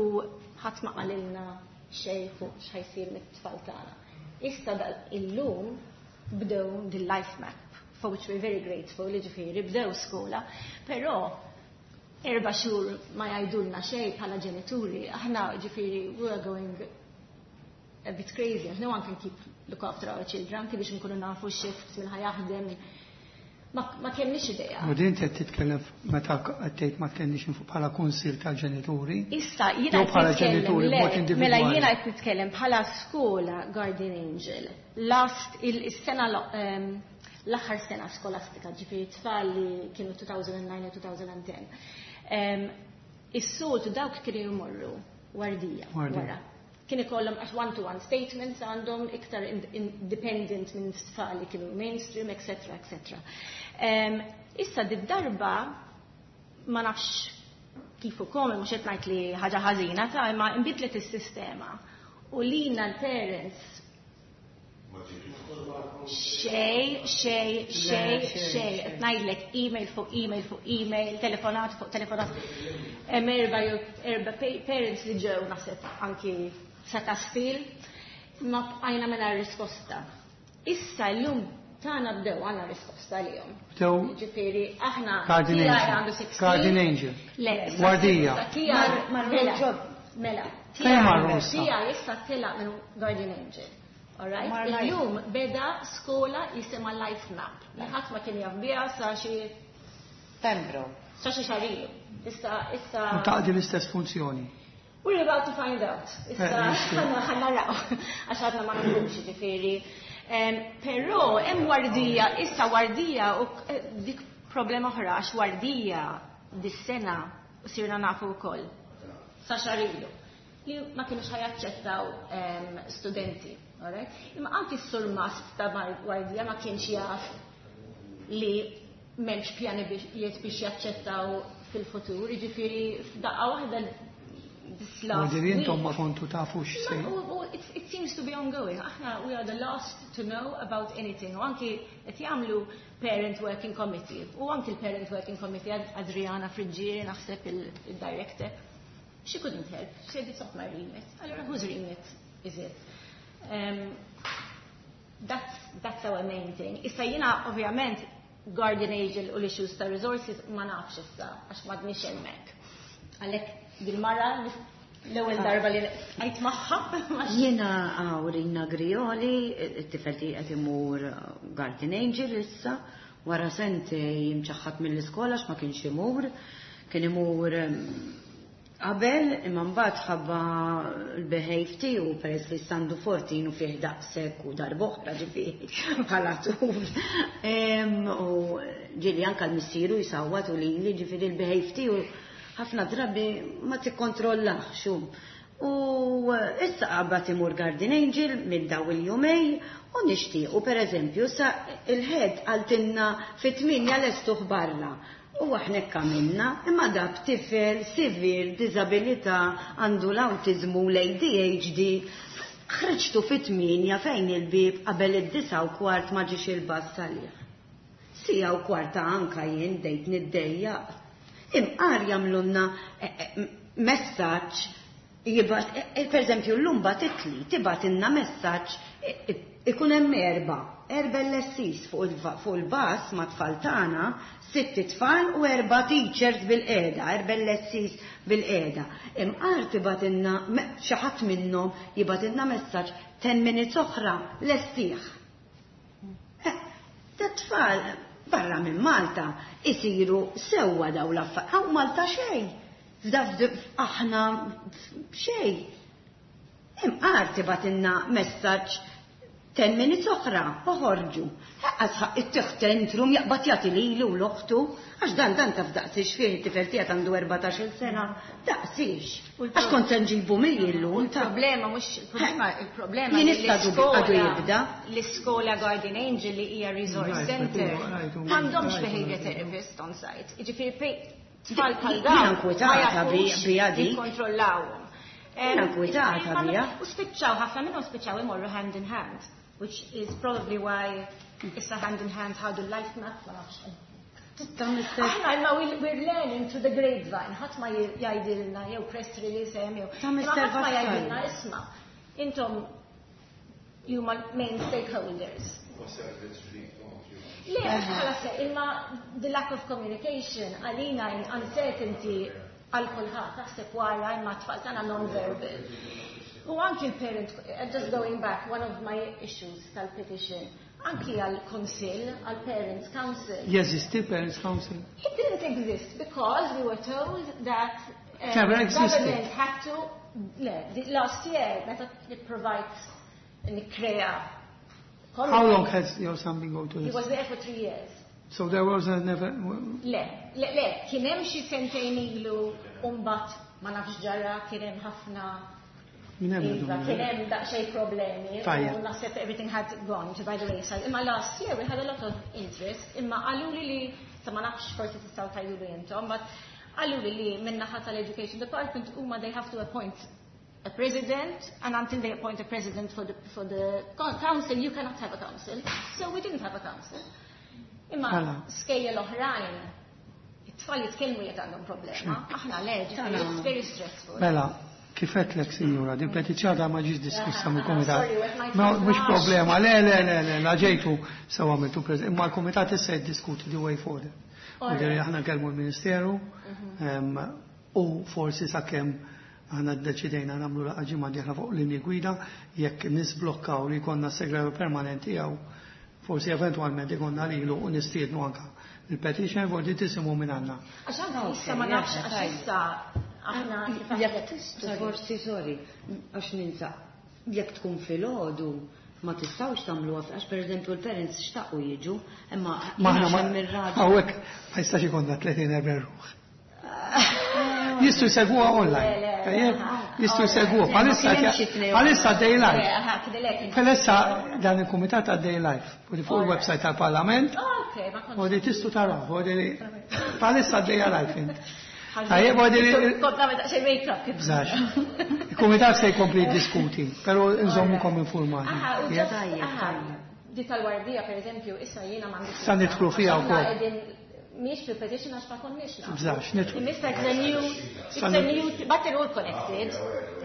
ħadd ma qalilna xejn fuq x'ħa jsir mit-tfal tagħna. Issa dal illum bdew the life map, for which we're very grateful, jiġifieri bdew skola, però erba' xhur ma jgħidulna xejn bħala ġenituri, aħna ġifieri we are going a bit crazy, no one can keep look after our children, anki biex nkunu nafu shifts min ħa jaħdem. Ma, ma kellniex idea. U din qed titkellem meta qed tgħid ma kellniex info bħala kunsil tal-ġenituri. Issa jiena Jew bħala qed nitkellem, ġenituri le, b'mod mela individwali. Jiena qed nitkellem bħala skola Guardian Angel. Last il-sena ehm, l-aħħar sena skolastika, ġifieri tfal li kienu elfejn u disa u elfejn u għaxra. Ehm, Is-soltu dawk kienu jmorru wardija Wardija. wara. Kien ikollhom għax one-to-one statements għandhom iktar independent minn tfal li kienu mainstream, et cetera, et cetera. Um, issa did-darba ma nafx kif u kom, mhux qed ngħid li ħaġa ħażina ta' imma inbidlet is-sistema. U lina l-parents xej, xej, xej, xej, qed ngħidlek email fuq email fuq email, telefonat fuq telefonat. Hemm erba' jew erba' parents li ġew naħseb anki sa Kastil, ma bqajna mingħajr risposta. Issa llum tagħna bdew għandna risposta lihom. Bdew Ġifieri aħna Guardian tiegħi Angel. għandu sittax. Guardian Angel. Le, issa- Wardija. issa tiegħi- Mar- mela, ġod. Mela. Fejn marru issa? Tiegħi issa telaq minn Guardian Angel. Alright? Mar Life. Illum beda skola jisimha Life Map. Li ħadd ma kien jaf biha sa xi Pembroke. Sa xi xahar ilu. Issa issa U taqdi l-istess funzjoni. We're about to find out. Issa Eh, nixtieq. ħa naraw għax għadna ma nafux ġifieri. Em, Però hemm wardija, issa wardija u eh, dik problema oħra għax wardija dis-sena sirna nafu wkoll. Sa xahar ilu. Li ma kienux ħa jaċċettaw em, studenti. Alright? Imma anki s-surmast ta' mar- wardija ma kienx jaf li m'hemmx pjani biex jiet biex jaċċettaw fil-futur, jiġifieri f'daqqa waħda this last U intom ma week. kontu tafu x'se. Ma- u- u it, it seems to be ongoing. Aħna, we are the last to know about anything. U anki qed jagħmlu Parent Working Committee. U anki l-Parent Working Committee, Ad- Adriana Friggieri, naħseb il-director. She couldn't help. She said, "It's not my remit." Allora, whose remit is it? Um, that's, that's our main thing. Issa jiena, ovvjament, Guardian Angel u l-issues ta' resources ma nafx issa, għax m'għadniex hemmhekk. Għalhekk bil-mara l-ewwel darba li għajt magħha. Jiena Awrina Grioli, it-tifel tiegħi qed imur Guardian Angel issa, wara sentejn imċaħħad mill-iskola għax ma kienx imur, kien imur em, qabel imma mbagħad ħabba l-behave tiegħu peress li għandu erbatax u fih daqshekk u darb'oħra ġifieri bħala tul. Em, U ġieli anke l-missieru jsawwat u lili, ġifieri l-behave tiegħu ħafna drabi ma tikkontrollax hu. U issa qabad imur Guardian Angel minn daw il-jumej u nixtiequ per eżempju sa il-head qaltilna fit-tmienja lestuh barra. U aħna hekk għamilna, imma dab tifel severe disabilità, għandu l-autizmu, l-A D H D, ħriġtu fit-tmienja fejn il-bib qabel id-disa u kwart ma ġiex il-bus għalih. Sija u kwarta anka jien dejt niddejjaq. Imqar jagħmlulna eh, eh, messaġġ jibgħat, eh, per eżempju l-lum bagħtitli, tibgħatilna messaġġ, ikun hemm erba, erba L S Es fuq il- fuq il-bus ma' tfal tagħna, sitt tfal u erba teachers bil-qiegħda, erba L S Es bil-qiegħda. Imqar tibgħatilna me- xi ħadd minnhom jibgħatilna messaġġ ten minutes oħra lestih. Eh, Da tfal barra minn Malta isiru sewwa daw l-affarijiet. Hawn Malta xejn. F'da aħna xejn. Imqar tibgħatilna messaġġ Ten minutes oħra, oħorġu. Għasħaq it-tiħ tentrum jaqbad jagħti lilu u l-oħtu, għax dan dan taf daqsix fih it-tifel tiegħek għandu erbatax-il sena, daqsix. Għax kont se nġibu mill-illum ta' Il-problema mhux il-problema il-problema Jien issa għadu jibda. L-iskola Guardian Angel li hija resource Right, center right, right, m'għandhomx right, behavior right. therapist on site. Jiġifieri pe- tfal bħal Jiena dawn nkwetata ma jafux bi- bija dik. jikkontrollawhom. Jiena nkwetata Em, bija. U spiċċaw ħafna minnhom spiċċaw imorru hand in hand, which is probably why issa hand in hand ħadu l-life map ma nafx. Aħna imma we- we're learning through the grapevine, ħadd ma jgħidilna jew press release hemm jew. Ta' Imma Mister ħadd ma Vassallo. jgħidilna isma' intom you huma main stakeholders. Le, mhux bħala se, imma the lack of communication għalina in uncertainty għal kulħadd, taħseb wara imma tfal tagħna non-verbal. U anki l-parent, uh, just going back, one of my issues tal-petition, anki għal-konsil, għal-parents council. Jeżisti Parents Council? It didn't exist because we were told that um, Never existed. government had to, le, the last year, meta provide nikkrea. How long has your son been going to He this? was there for three years. So there was a never... Le, le, le, kien hemm xi sentejn ilu u mbagħad ma nafx ġara kien hemm ħafna Minn hemm Iva, bidu. kien hemm daqsxejn problemi. Tajjeb. U naħseb everything had gone to by the wayside. Imma last year we had a lot of interest, imma qaluli li, sa ma nafx forsi tistgħu tgħidulu intom, but qaluli li min-naħa tal-Education Department huma they have to appoint a president, and until they appoint a president for the, for the council, you cannot have a council. So we didn't have a council. Imma Mela. skejjel oħrajn, it-tfal jitkellmu jekk għandhom problema. Aħna le, ġifieri, it's very stressful. Mela, kif għedtlek, sinjura, din petizzjoni ma ġietx diskussa mill-komitat. Sorry, wet my Ma mhux flash. problema, le, le, le, le, la ġejtu sew għamiltu preż. Imma l-komitat issa jiddiskuti the way forward. U Alright. diri aħna nkellmu l-Ministeru em, u forsi sakemm aħna ddeċidejna nagħmlu laqgħa ġimgħa dieħla fuq linji gwida jekk nisblokkaw li jkollna segretarju permanenti jew forsi eventwalment ikonna lilu u nistiednu anka il-petition forsi tisimgħu minn għandna. Għax anke issa ma nafx, għax issa aħna kif Jekk għedtlek- tista' Sorry. forsi, sorry, għax ninsa, jekk tkun filgħodu ma tistgħux tagħmluha għax pereżempju l-parents xtaqu jiġu, imma Ma aħna ma mir-raġel. hawnhekk ma jistax ikollna tletin erba' ruħ. Jistgħu jsegwuha online. Le, le, Tajjeb, aha. jistgħu jsegwuha. Bħalissa Ma kien hemm xi tnejn bħalissa day Le, live. aha, kidilek inti. Bħalissa dan il-kumitat għaddej live. U fuq il-website tal-Parlament. Oh, ok, ma kontx. U di tistgħu taraw. U di bħalissa għaddejja live int. Tajjeb, u di Kont nagħmel daqsxejn make-up kif. Bżax. Il-kumitat se jkompli jiddiskuti, però nżommukom informati. Aha, u Tajjeb? just, Tajjeb, aha, tajjeb. di tal-wardija, per eżempju, issa jiena m'għandix. Sa nidħlu fiha Aħna wkoll. qegħdin mhix fil-petition għax ma konniex nafu. Bżax, nidħlu. Issa it's a new, it's a new, but they're all connected.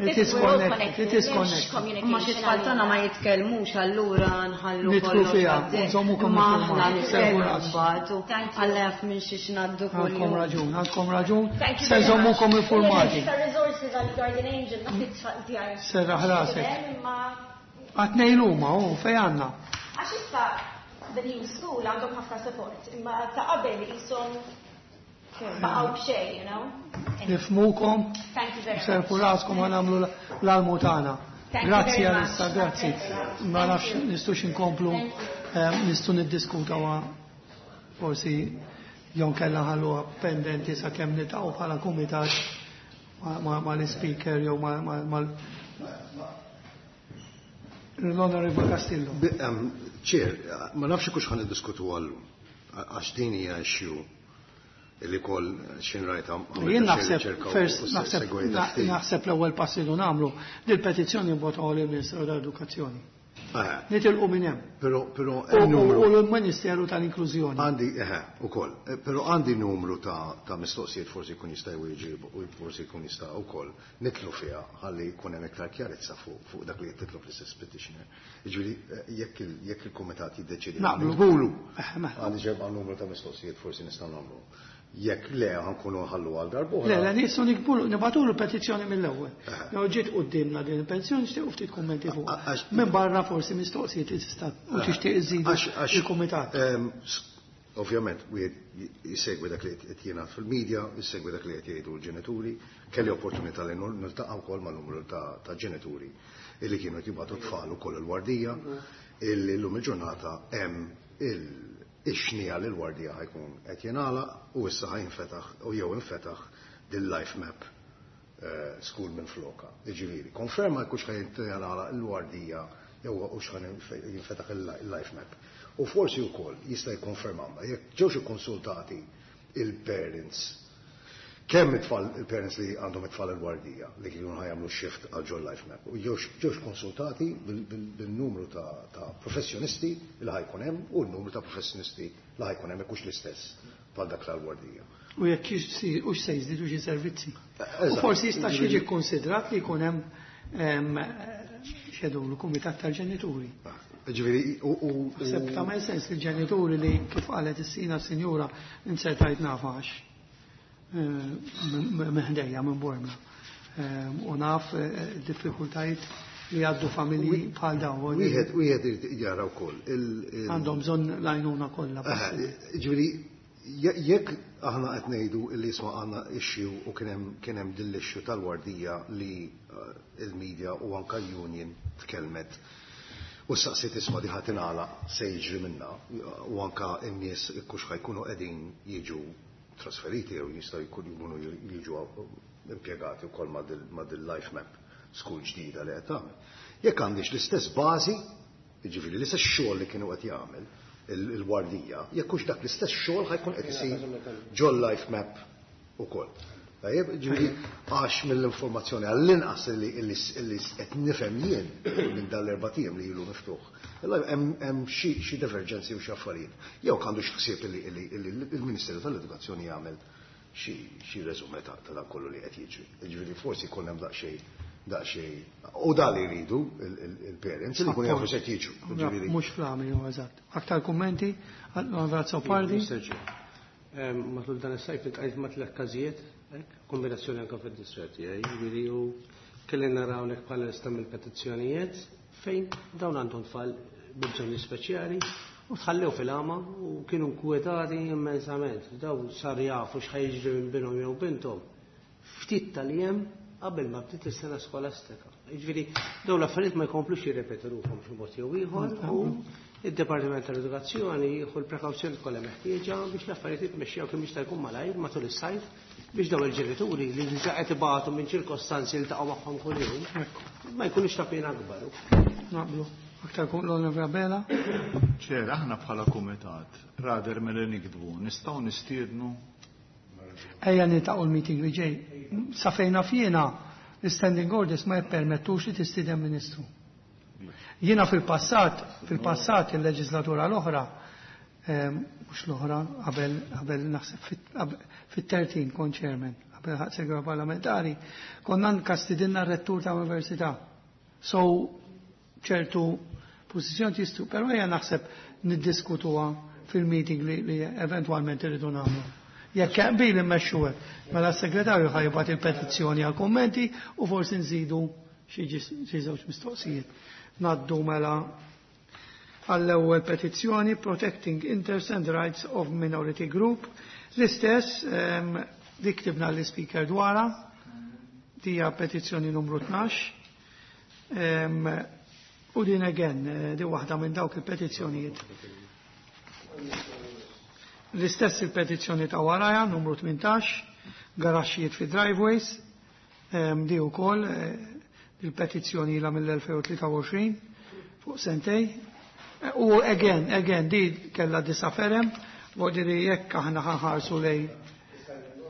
It is We're all connected, it is m'hemmx connected. communication Ma xi tfal tagħna ma jitkellmux allura nħallu Nidħlu kollox fiha, għaddej. nżommukom Imma informati, aħna nitkellmu servu ras. mbagħad u Thank you. Alla jaf minn xiex ngħaddu Għandkom kuljum. raġun, għandkom raġun. Thank you Se very much. nżommukom informati. Issa resources għal Guardian Angel, naf it-tfal tiegħi. Serraħ rasek. Imma Għatnej l-huma, u fej għandna. għax issa the new school għandhom ħafna support, imma ta' qabel qishom baqgħu b'xejn, you know. Nifhmukom, Thank you very much. serħu raskom ħa nagħmlu l-almu tagħna. Thank you Grazzi very much. għalissa, grazzi. Ma nafx nistgħux inkomplu, eh, nistgħu niddiskuta wa forsi jew kella ħalluha pendenti sakemm niltaqgħu bħala kumitat ma- ma- mal-speaker jew ma- ma- mal l-Onorevole Castillo. Bi- em, Chair, ma nafx kux ħan niddiskutu għallu, għax din hija issue illi kol xin rajta. Jien naħseb, first, naħseb, naħseb l-ewwel pass li nagħmlu dil-petizzjoni nibagħtuha lill-Ministeru tal-Edukazzjoni. Nitilqu minn hemm. Pero, pero, U- hemm U numru. u l-Ministeru tal-Inklużjoni. Għandi, eħe, u koll, pero għandi numru ta', ta' mistoqsijiet forsi jkun jista' jwieġeb u forsi jkun jista' wkoll nidħlu fiha ħalli jkun hemm iktar kjarezza fuq fuq dak li qed titlob l-istess petitioner. Jiġifieri eh, jekk il- jekk il-kumitat jiddeċiedi Naqblu. naqblu. Eh, mela. Għandi ġebqa numru ta' mistoqsijiet forsi nistgħu nagħmlu. Jekk le ħa nkunu nħallu għal darb'oħra. Le, le, nistgħu nikbulu, nibagħtulu petizzjoni mill-ewwel. Jew ġiet quddiemna din il-petizzjoni nixtiequ ftit kummenti fuq. Għax- Minn barra forsi mistoqsijiet li tista' u tixtieq iżidu Għax- għax- il-kumitat. ehm, s- Ovvjament, wieħed jisegwi dak li qed jingħad fil-medja, jisegwi dak li qed jgħidu l-ġenituri, kelli opportunità li nil- niltaqa' wkoll ma' numru ta' ta' ġenituri illi kienu qed jibgħatu tfal ukoll il-wardija, illi llum il-ġurnata hemm il-xnija li l-Wardija ħa jkun qed jingħalaq u issa ħa jinfetaħ u jew infetaħ din life map eh, school minn floka. Jiġifieri, konferma jekk hux ħa jingħalaq il-Wardija jew hux ħa jinfetaħ il-life map. U forsi wkoll jista' jikkonfermawna jekk ġewx ikkonsultati il-parents, kemm it-tfal, il-parents li għandhom it-tfal il-Wardija li kienu ħa jagħmlu shift għal ġol life map, u ġewx konsultati bil-numru ta' professjonisti li ħa jkun hemm u n-numru ta' professjonisti li ħa jkun hemm, jekk hux l-istess bħal dak tal-Wardija. U jekk u se jiżdiedu xi servizzi. U forsi jista' jiġi konsidrat li jkun hemm xedulu kumitat tal-ġenituri. Ġifieri, u. Naħseb tagħmel sens li ġenituri li, kif qalet is-sina sinjura, insertajt nafax meħdejja minn Bormla. U naf diffikultajiet li għaddu familji bħal dawn. Wieħed wieħed irid jara wkoll. Għandhom bżonn l-għajnuna kollha. Ġifieri, jekk aħna qed ngħidu li isma' għandna issue u kien hemm kien hemm din l-issue tal-Wardija li il-media u anka l-union tkellmet u saqsiet, isma', di ħa tingħalaq, se jiġri minna, u anka n-nies kux ħa jkunu qegħdin jiġu trasferiti jew jistgħu jkunu jiġu impjegati wkoll ma' dil life map school ġdida li qed tagħmel. Jekk għandix l-istess bażi, jiġifieri l-istess xogħol li kienu qed jagħmel il-Wardija, jekk hux dak l-istess xogħol ħa jkun qed isir ġol life map ukoll. Tajjeb, ġifieri, għax mill-informazzjoni għall-inqas li qed nifhem jien minn dal-erbat ijiem li ilu miftuħ, hemm xi divergenzi u xi affarijiet. Jew għandu xi ħsieb li il-Ministeru tal-Edukazzjoni jagħmel xi resume ta' dan kollu li qed jiġri. Ġifieri forsi jkun hemm daqsxejn daqsxejn u da li jridu il-parents li jkunu jafu se jiġu. Mhux flami, eżatt. Aktar kummenti? Onorevole Pardi? Matul dan is-sajf iltqajt ma' tliet każijiet, kombinazzjoni anke fid-distret tiegħi, jiġifieri u kelli naraw lek bħala lista mill-petizzjonijiet fejn dawn għandhom tfal b'bżonni speċjali u tħallew fil-għama u kienu nkwetati immensament. Daw sar jafu x'ħa jiġri minn binhom jew binthom ftit tal-jiem qabel ma bdiet is-sena skolastika. Jiġifieri dawn l-affarijiet ma jkomplux jirrepetu ruħhom xi mod jew ieħor u id-Dipartiment tal-Edukazzjoni jieħu l-prekawzjoni kollha meħtieġa biex l-affarijiet jitmexxew kemm jista' jkun malajr matul is-sajf biex dawn il-ġenituri li diġà qed ibatu minn ċirkostanzi li ltaqgħu magħhom kuljum ma jkunux ta' pena akbar. Naqblu. Aktar kun l-Onorevole Abela? Chair, aħna bħala kumitat, rather milli niktbu, nistgħu nistiednu Ejja niltaqgħu l-meeting li ġej. Sa fejn naf jiena, l-standing orders ma jippermettux li tistieden ministru. Jiena fil-passat, fil-passat il-leġislatura l-oħra, mhux l-oħra, qabel qabel naħseb fit-tlettax kont chairman, qabel segretarju parlamentari, konna anka stidinna r-rettur ta' università. So, ċertu pożizzjoni jistu, però ejja naħseb niddiskutuha fil-meeting li, li eventualment irridu nagħmlu. Jekk qbil immexxu hekk, mela s-segretarju ħa jibgħat il-petizzjoni għal kummenti u forsi nżidu xi żewġ mistoqsijiet. Ngħaddu mela għall-ewwel petizzjoni, Protecting Interests and Rights of Minority Group. L-istess li ktibna l-speaker dwarha, dija petizzjoni numru tnax. U din again, eh, di waħda minn dawk il-petizzjonijiet. L-istess il-petizzjoni ta' waraja, numru tmintax, garaxxijiet fi driveways, di wkoll eh, il-petizzjoni ila mill-elfejn u tlieta u għoxrin fuq sentej. Eh, u again, again, di kella disa firem, li jekk aħna ħa nħarsu lej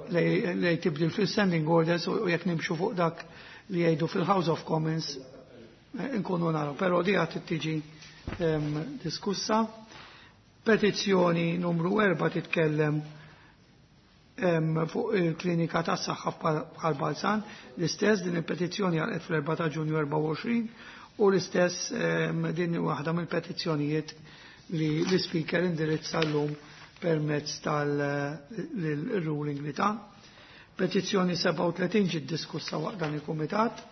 lej tibdil fil-standing orders u jekk nimxu fuq dak li jgħidu fil-House of Commons, eh, nkunu naraw. Però di għad tiġi diskussa. Petizzjoni numru erba' titkellem fuq il-klinika tas saħħa bħal Balzan, l-istess din il-petizzjoni għal fl-erba' ta' Ġunju erbgħa u għoxrin u l-istess din waħda mill-petizzjonijiet li l-speaker indirizza l-lum permezz tal-ruling li ta'. Petizzjoni sebgħa u tletin ġiet diskussa waqt dan il-kumitat.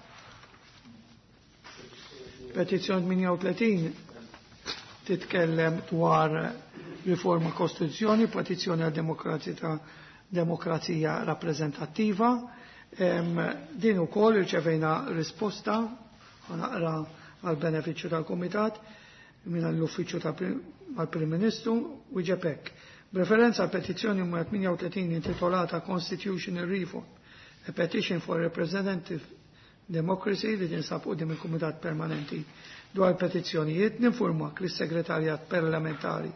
Petizzjoni tmienja u tletin titkellem dwar riforma kostituzzjoni, petizzjoni għal demokrazija demokrazija rappreżentattiva. Din ukoll irċevejna risposta, naqra għal benefiċċju tal-Kumitat. minn l-Uffiċċju tal-Prim Ministru wieġeb hekk. B'referenza għal petizzjoni numru tmienja u tletin intitolata Constitutional Reform, a Petition for Representative Democracy li tinsab quddiem il-Kumitat Permanenti dwar petizzjonijiet, ninformak li s-Segretarjat Parlamentari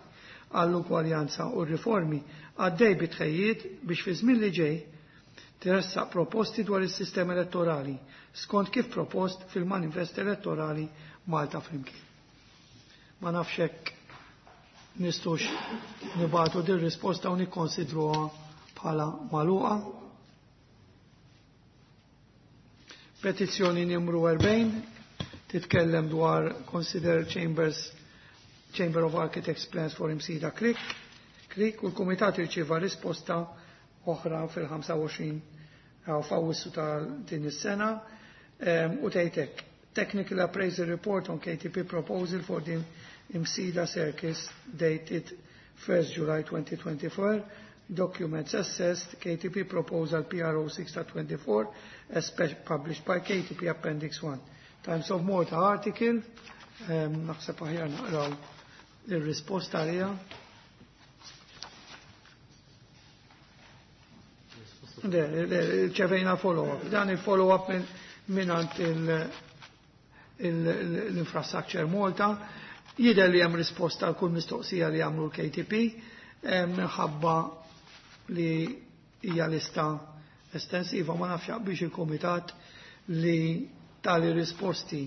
għall-Ugwaljanza u r-Riformi għaddej bi tħejjiet biex fi żmien li ġej tressaq proposti dwar is-sistema elettorali skont kif propost fil-manifest elettorali Malta Flimkien. Ma nafx hekk nistgħux nibagħtu din risposta u nikkonsidruha bħala magħluqa. Petizzjoni numru erbgħin titkellem dwar Consider Chambers Chamber of Architects Plans for Imsida Creek, Creek u l-Kumitat irċieva risposta oħra fil-ħamsa u għoxrin f'Awwissu ta' din is-sena u tgħidlek: Technical Appraisal Report on K T P Proposal for the Imsida Circus dated first July twenty twenty-four. Documents assessed, K T P Proposal P R O six twenty-four as published by K T P Appendix one. Times of Malta article, naħseb aħjar naqraw il-risposta għalija. Le, le, rċevejna follow-up. Dan il-follow-up minn l-Infrastructure Malta. Jidher li hemm risposta għal kull mistoqsija li għamlu l-K T P, minħabba li hija lista estensiva, ma nafx biex il-komitat li tali risposti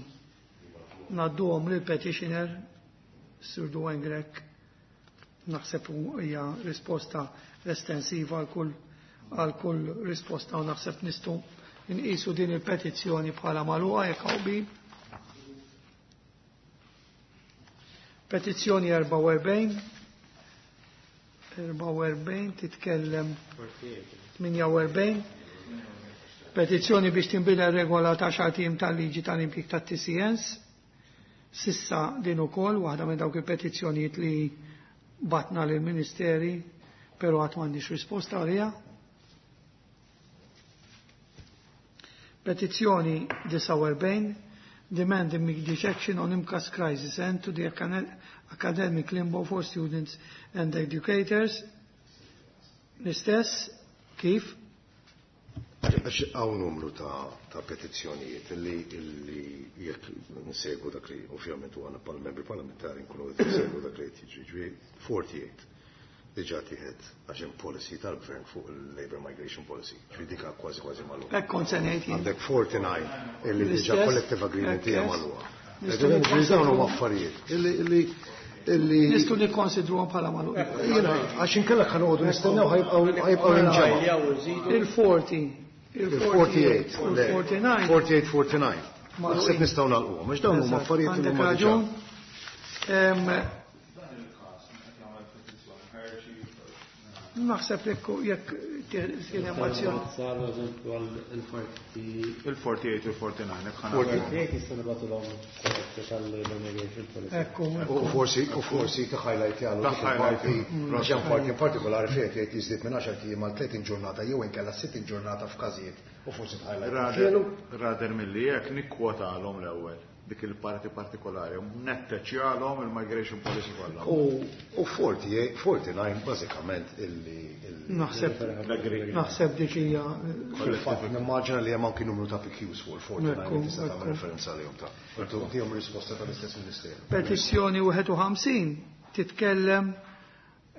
ngħadduhom lil petitioner Sir Duane Grech. Naħseb hija risposta estensiva għal kull għal kull risposta u naħseb nistgħu nqisu din il-petizzjoni bħala magħluqa jekk hawn qbil. Petizzjoni erbgħa u erbgħin, erbgħa u erbgħin titkellem, tmienja u erbgħin, petizzjoni biex tinbidel regola ta' għaxart ijiem tal-liġi tal-impjieg tat-T C Ns. S'issa din ukoll waħda minn dawk il-petizzjonijiet li bgħatna lill-Ministeri, però għad m'għandix risposta għaliha. Petizzjoni disgħa u erbgħin, demand immediate action on M C A S crisis and to the academic limbo for students and educators. L-istess, kif? Għax hawn numru ta', ta petizzjonijiet illi, illi jekk nsegwu dak li ovvjament u għana pal membri parlamentari nkunu qed nsegwu dak li qed jiġri. Ġifieri erbgħa u erbgħin diġà tieħed għax hemm policy tal-gvern fuq il-Labor Migration Policy. Ġifieri dik kważi kważi magħluqa. Hekk kont se ngħid jien. Għandek quarter nine illi diġà L-istess, collective agreement hija hekk magħluqa. Nistgħu Ġifieri dawn huma affarijiet illi illi illi Nistgħu nikkonsidruhom bħala magħluqa. Jiena għax inkella ħa noqogħdu nistennew ħa jibqgħu ħa jibqgħu jinġemgħu. Il-erbgħa u erbgħin, Il-erbgħa u tmienja u erbgħin, u l-erbgħa u disgħa. erbgħa u tmienja, erbgħa u disgħa. Naħseb nistgħu nagħlquhom, għax dawn huma affarijiet li Għandek huma diġà. raġun. Em, Naħseb jekk jekk kien hemm azzjoni. Saru eżempju għal il-forty. Il-erbgħa u tmienja u l-erbgħa u disgħa, jekk ħa Forty eight jista' nibagħtulhom tal-Labor Migration Policy. Ekku, U ekku. forsi, u forsi ta' highlight jagħmlu Ta' dik highlight, il-parti, għax hemm parti in partikolari fejn qed jiżdied minn għaxar ijiem għal tletin ġurnata jew inkella sittin ġurnata f'każijiet u forsi ta' highlight. Rather, rather milli jekk nikkwotalhom l-ewwel dik il-parti partikolari, netteċjalhom il-migration policy kollha. U u erbgħa u tmienja, erbgħa u disgħa bażikament illi illi- Naħseb L-agree. naħseb dik hija Fil-fatt nimmaġina li hemm anki numru ta' P Qs fuq il-erbgħa u disgħa Ekku, li tista' tagħmel ekku. referenza għalihom ta' u tihom risposta tal-istess ministeru. Petizzjoni wieħed u ħamsin titkellem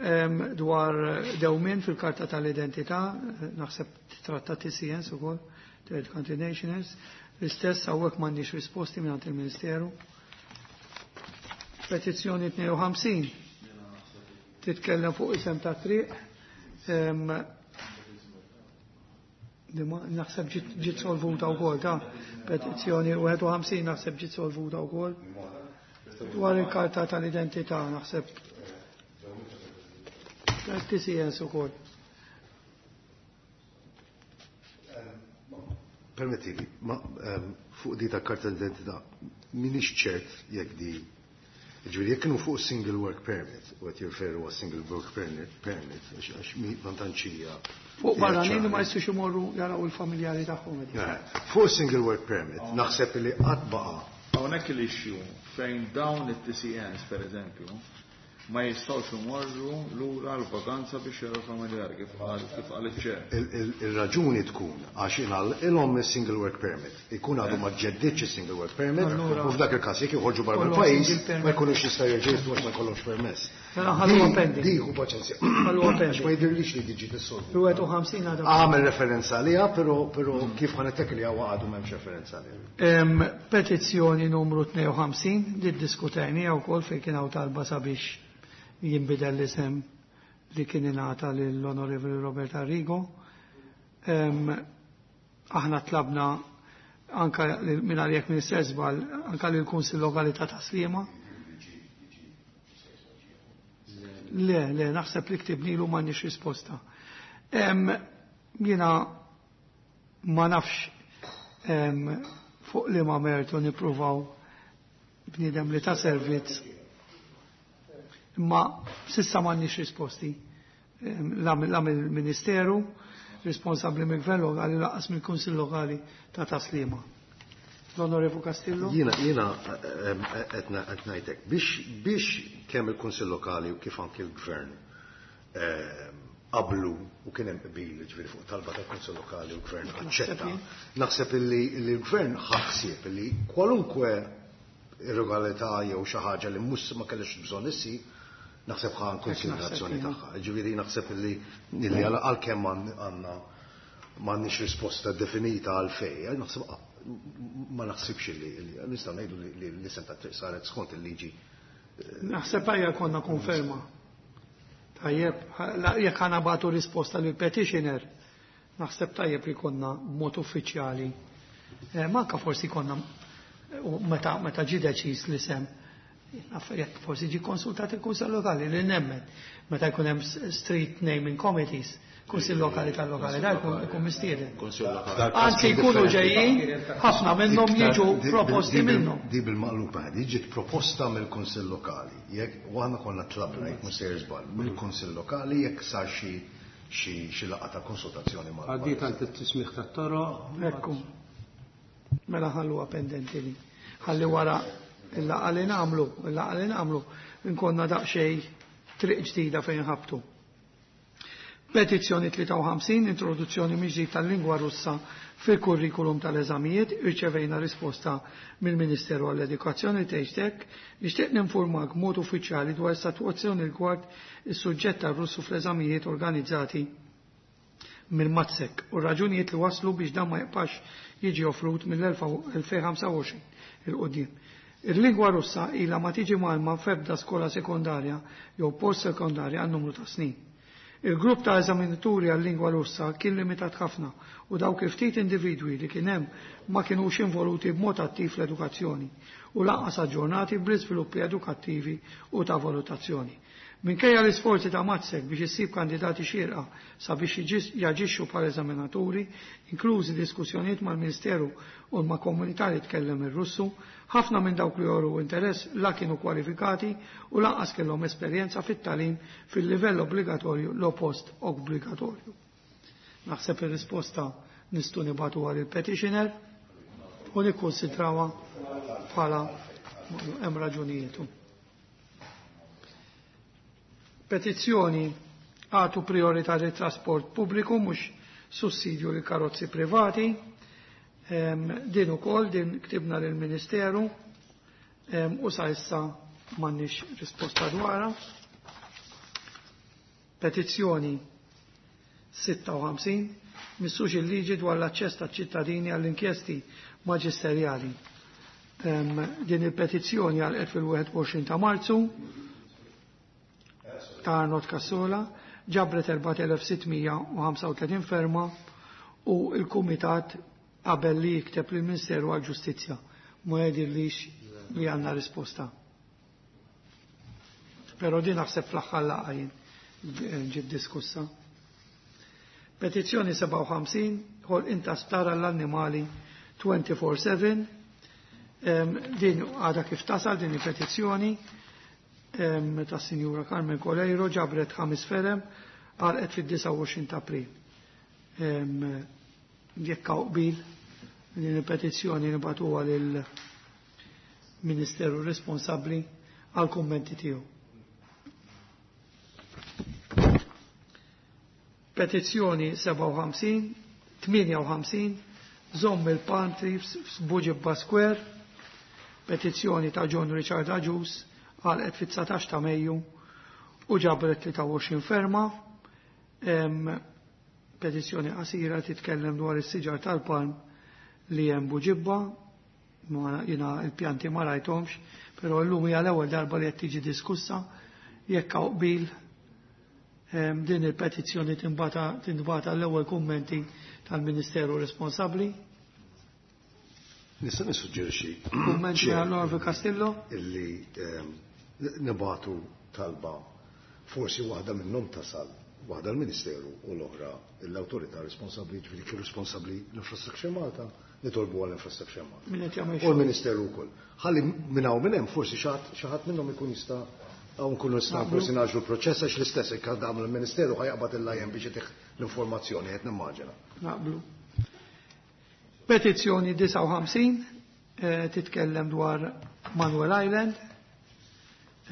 em, dwar dewmien fil-karta tal-identità, naħseb titratta T C Ns ukoll, Third Country Nationals, l-istess hawnhekk m'għandniex risposti minn il-Ministeru. Petizzjoni tnejn u ħamsin titkellem fuq isem ta' triq. em, di ma- Naħseb ġiet ġiet solvuta wkoll ta' petizzjoni wieħed u ħamsin naħseb ġiet solvuta wkoll. Dwar il-karta tal-identità naħseb T C Ns ukoll. Permettili, ma ehm, fuq di ta' karta d'identità minix ċert jekk di, ġifieri jekk kienu fuq single work permit, u qed jirreferu għas single work permit, permit għax għax mi ma tantx hija Fuq barranin li ma ċara. jistgħux imorru jaraw il-familjari tagħhom. Eh, Fuq single work permit, naħseb li qatt baqa' Hawnhekk l-issue fejn dawn it-T C Ns, per eżempju, ma jistgħux imorru lura l-vaganza biex jaraw familjari kif qal kif qal iċ-chair. Il-raġuni tkun għax ingħalqilhom il-single work permit. Ikun għadu ma ġeddidx il-single work permit Allura- u f'dak il-każ jekk joħorġu barra Kollhom mill-pajjiż single permit. Ma jkunux jistgħu jerġgħu għax ma jkollhomx permess. Mela ħalluha Di- pending. Di hu paċenzja. Ħalluha Għax pending. ma jidhirlix li diġi tissolvu. Il-wieħed u ħamsin għadha. Għamel referenza għaliha, però però kif ħa nittekli għadu m'hemmx referenza għaliha. Em, Petizzjoni numru tnejn u ħamsin li ddiskutejni wkoll, fejn kien hawn talba sabiex jinbidel l-isem li kien ingħata lill-Onorevoli Robert Arrigo. Em, Aħna tlabna anka lil- minn għalijek minn sezbal anka lill-Kunsill Lokali ta' Tas-Sliema. Le, le, naħseb li ktibnilu, m'għandniex risposta. Em, Jiena ma nafx em, fuq li ma mertu nippruvaw bniedem li ta' servizz. Imma s'issa m'għandniex risposti. Em, La la mill-Ministeru responsabbli mill-Gvern Lokali, lanqas mill-Kunsill Lokali ta' Tas-Sliema. L-Onorevu Castillo? Jiena jiena qed ngħidlek biex biex kemm il-Kunsill Lokali u kif anki l-Gvern em, qablu u kien hemm qbil, ġifieri fuq talba tal-Kunsill Lokali u l-Gvern aċċetta. Naħseb illi li l-Gvern ħaħsieb illi kwalunkwe irregolarità jew xi ħaġa li mhux ma kellix bżonn issir, naħseb ħa konsiderazzjoni Naħseb, tagħha. Ġifieri naħseb illi illi għal- għalkemm għandna m'għandniex risposta definita għal fej, eh, naħseb ma naħsibx li li- nistgħu ngħidu li li l-isem ta' triq saret skont il-liġi. Naħseb ejja konna konferma. Tajjeb, la- jekk ħa nibagħtu risposta lil petitioner, naħseb tajjeb li konna b'mod uffiċjali. Eh, Manka forsi konna u meta meta ġi deċiż l-isem, naf jekk forsi ġi konsultat il-Kunsill Lokali, li nemmen. Meta jkun hemm street naming committees, Kunsill Lokali tal-lokalità jkun ikun mistieden. Kunsill Lokali. Anzi jkunu ġejjin, ħafna minnhom jiġu Di- proposti di- minnhom. Di bil-maqlub di ġiet proposta mill-Kunsill Lokali. Jekk u aħna konna tlabna, jekk mhux sejjer żball, mill-Kunsill Lokali jekk sar xi xi xi laqgħa ta' konsultazzjoni mal. Għaddiet għand it-tismiħ tat-toroq. Ekku. Mela ħalluha pendenti li. Ħalli wara il-laqgħa li nagħmlu, il-laqgħa li nagħmlu, nkonna daqsxejn triq ġdida fejn ħabtu. Petizzjoni tlieta u ħamsin, introduzzjoni mill-ġdid tal-lingwa Russa fil-kurrikulum tal-eżamijiet, irċevejna risposta mill-Ministeru għall-Edukazzjoni. Tgħid: "Nixtieq ninformak b'mod uffiċjali dwar is-sitwazzjoni rigward is-suġġett tar-Russu fl-eżamijiet organizzati mill-MATSEC u raġunijiet li waslu biex dan ma jibqax jiġi offrut mill-elfejn u ħamsa u għoxrin 'il quddiem. Il-lingwa Russa ilha ma tiġi mgħallma f'ebda skola sekondarja jew post sekondarja għal numru ta' snin. Il-grupp ta' eżaminaturi għal-lingwa Russa kien limitat ħafna u dawk il-ftit individwi li kien hemm ma kienux involuti b'mod attiv fl-edukazzjoni u lanqas aġġornati bl-iżviluppi edukattivi u ta' valutazzjoni. Minkejja l-isforzi ta' MATSEC biex issib kandidati xierqa sabiex jaġixxu bħala eżaminaturi, inklużi diskussjonijiet mal-Ministeru u ma' komunità li tkellem ir-Russu, ħafna minn dawk li joru interess la kienu kwalifikati u lanqas kellhom esperjenza fit-tagħlim fil-livell obbligatorju jew post obbligatorju." Naħseb ir-risposta nistgħu nibagħtu għal il-petitioner u nikkonsidrawha bħala hemm raġunijietu. Petizzjoni għatu priorità li trasport pubbliku, mhux sussidju li karozzi privati. Em, din ukoll din ktibna lill ministeru em, u sa issa m'għandniex risposta dwarha. Petizzjoni sitta u ħamsin, missux il-liġi dwar l-aċċess taċ-ċittadini għall-inkjesti maġisterjali. Em, din il-petizzjoni għal fil-wieħed u għoxrin ta' Marzu ta' Arnold Cassola ġabret erbat elef sitt mija u ħamsa u tletin ferma u il-Kumitat qabel li jikteb lill-Ministeru għal-Ġustizzja. Ma jidhirlix li għandna risposta. Pero din naħseb fl-aħħar laqgħa jien ġiet diskussa. Petizzjoni sebgħa u ħamsin, ħolqien ta' sptar għall-annimali twenty-four seven. Din għada kif tasal din il-petizzjoni ta' Sinjura Carmen Coleiro, ġabret ħames ferem, għalqet fid-disgħa u għoxrin ta' April. Jekk hawn qbil, din il-petizzjoni nibagħtuha lil Ministeru responsabbli għal kummenti tiegħu. Petizzjoni sebgħa u ħamsin, tmienja u ħamsin, żomm il-palm trees f'Buġibba Square, petizzjoni ta' John Richard Agius għalqet fit-dsatax ta' Mejju u ġabret tlieta u għoxrin ferma. Em, petizzjoni qasira titkellem dwar is-siġar tal-palm li hemm Buġibba, ma jiena il-pjanti ma rajthomx, però llum hija l-ewwel darba li qed tiġi diskussa jekk hawn qbil em, din il-petizzjoni tinbata, tinbata l-ewwel kummenti tal-Ministeru responsabbli. Nista' nissuġġerixxi Kummenti Chair, għall-Onorevoli Castillo? Illi, em, nibatu talba forsi waħda minnhom tasal, waħda l-Ministeru u l-oħra l-awtorità responsabbli, ġifieri kif responsabbli l-Infrastructure Malta, nitolbu għall-Infrastructure Malta. Min qed jagħmel U l-Ministeru wkoll. Ħalli minn hawn minn hemm forsi xi ħadd, xi ħadd minnhom ikun jista' hawn nkunu nistgħu Naqblu. forsi naġlu l-proċess għax l-istess jekk għandha l-Ministeru ħajqbad il-lajn biex itih l-informazzjoni qed nimmaġina. Naqblu. Petizzjoni disgħa u ħamsin, eh, titkellem dwar Manuel Island.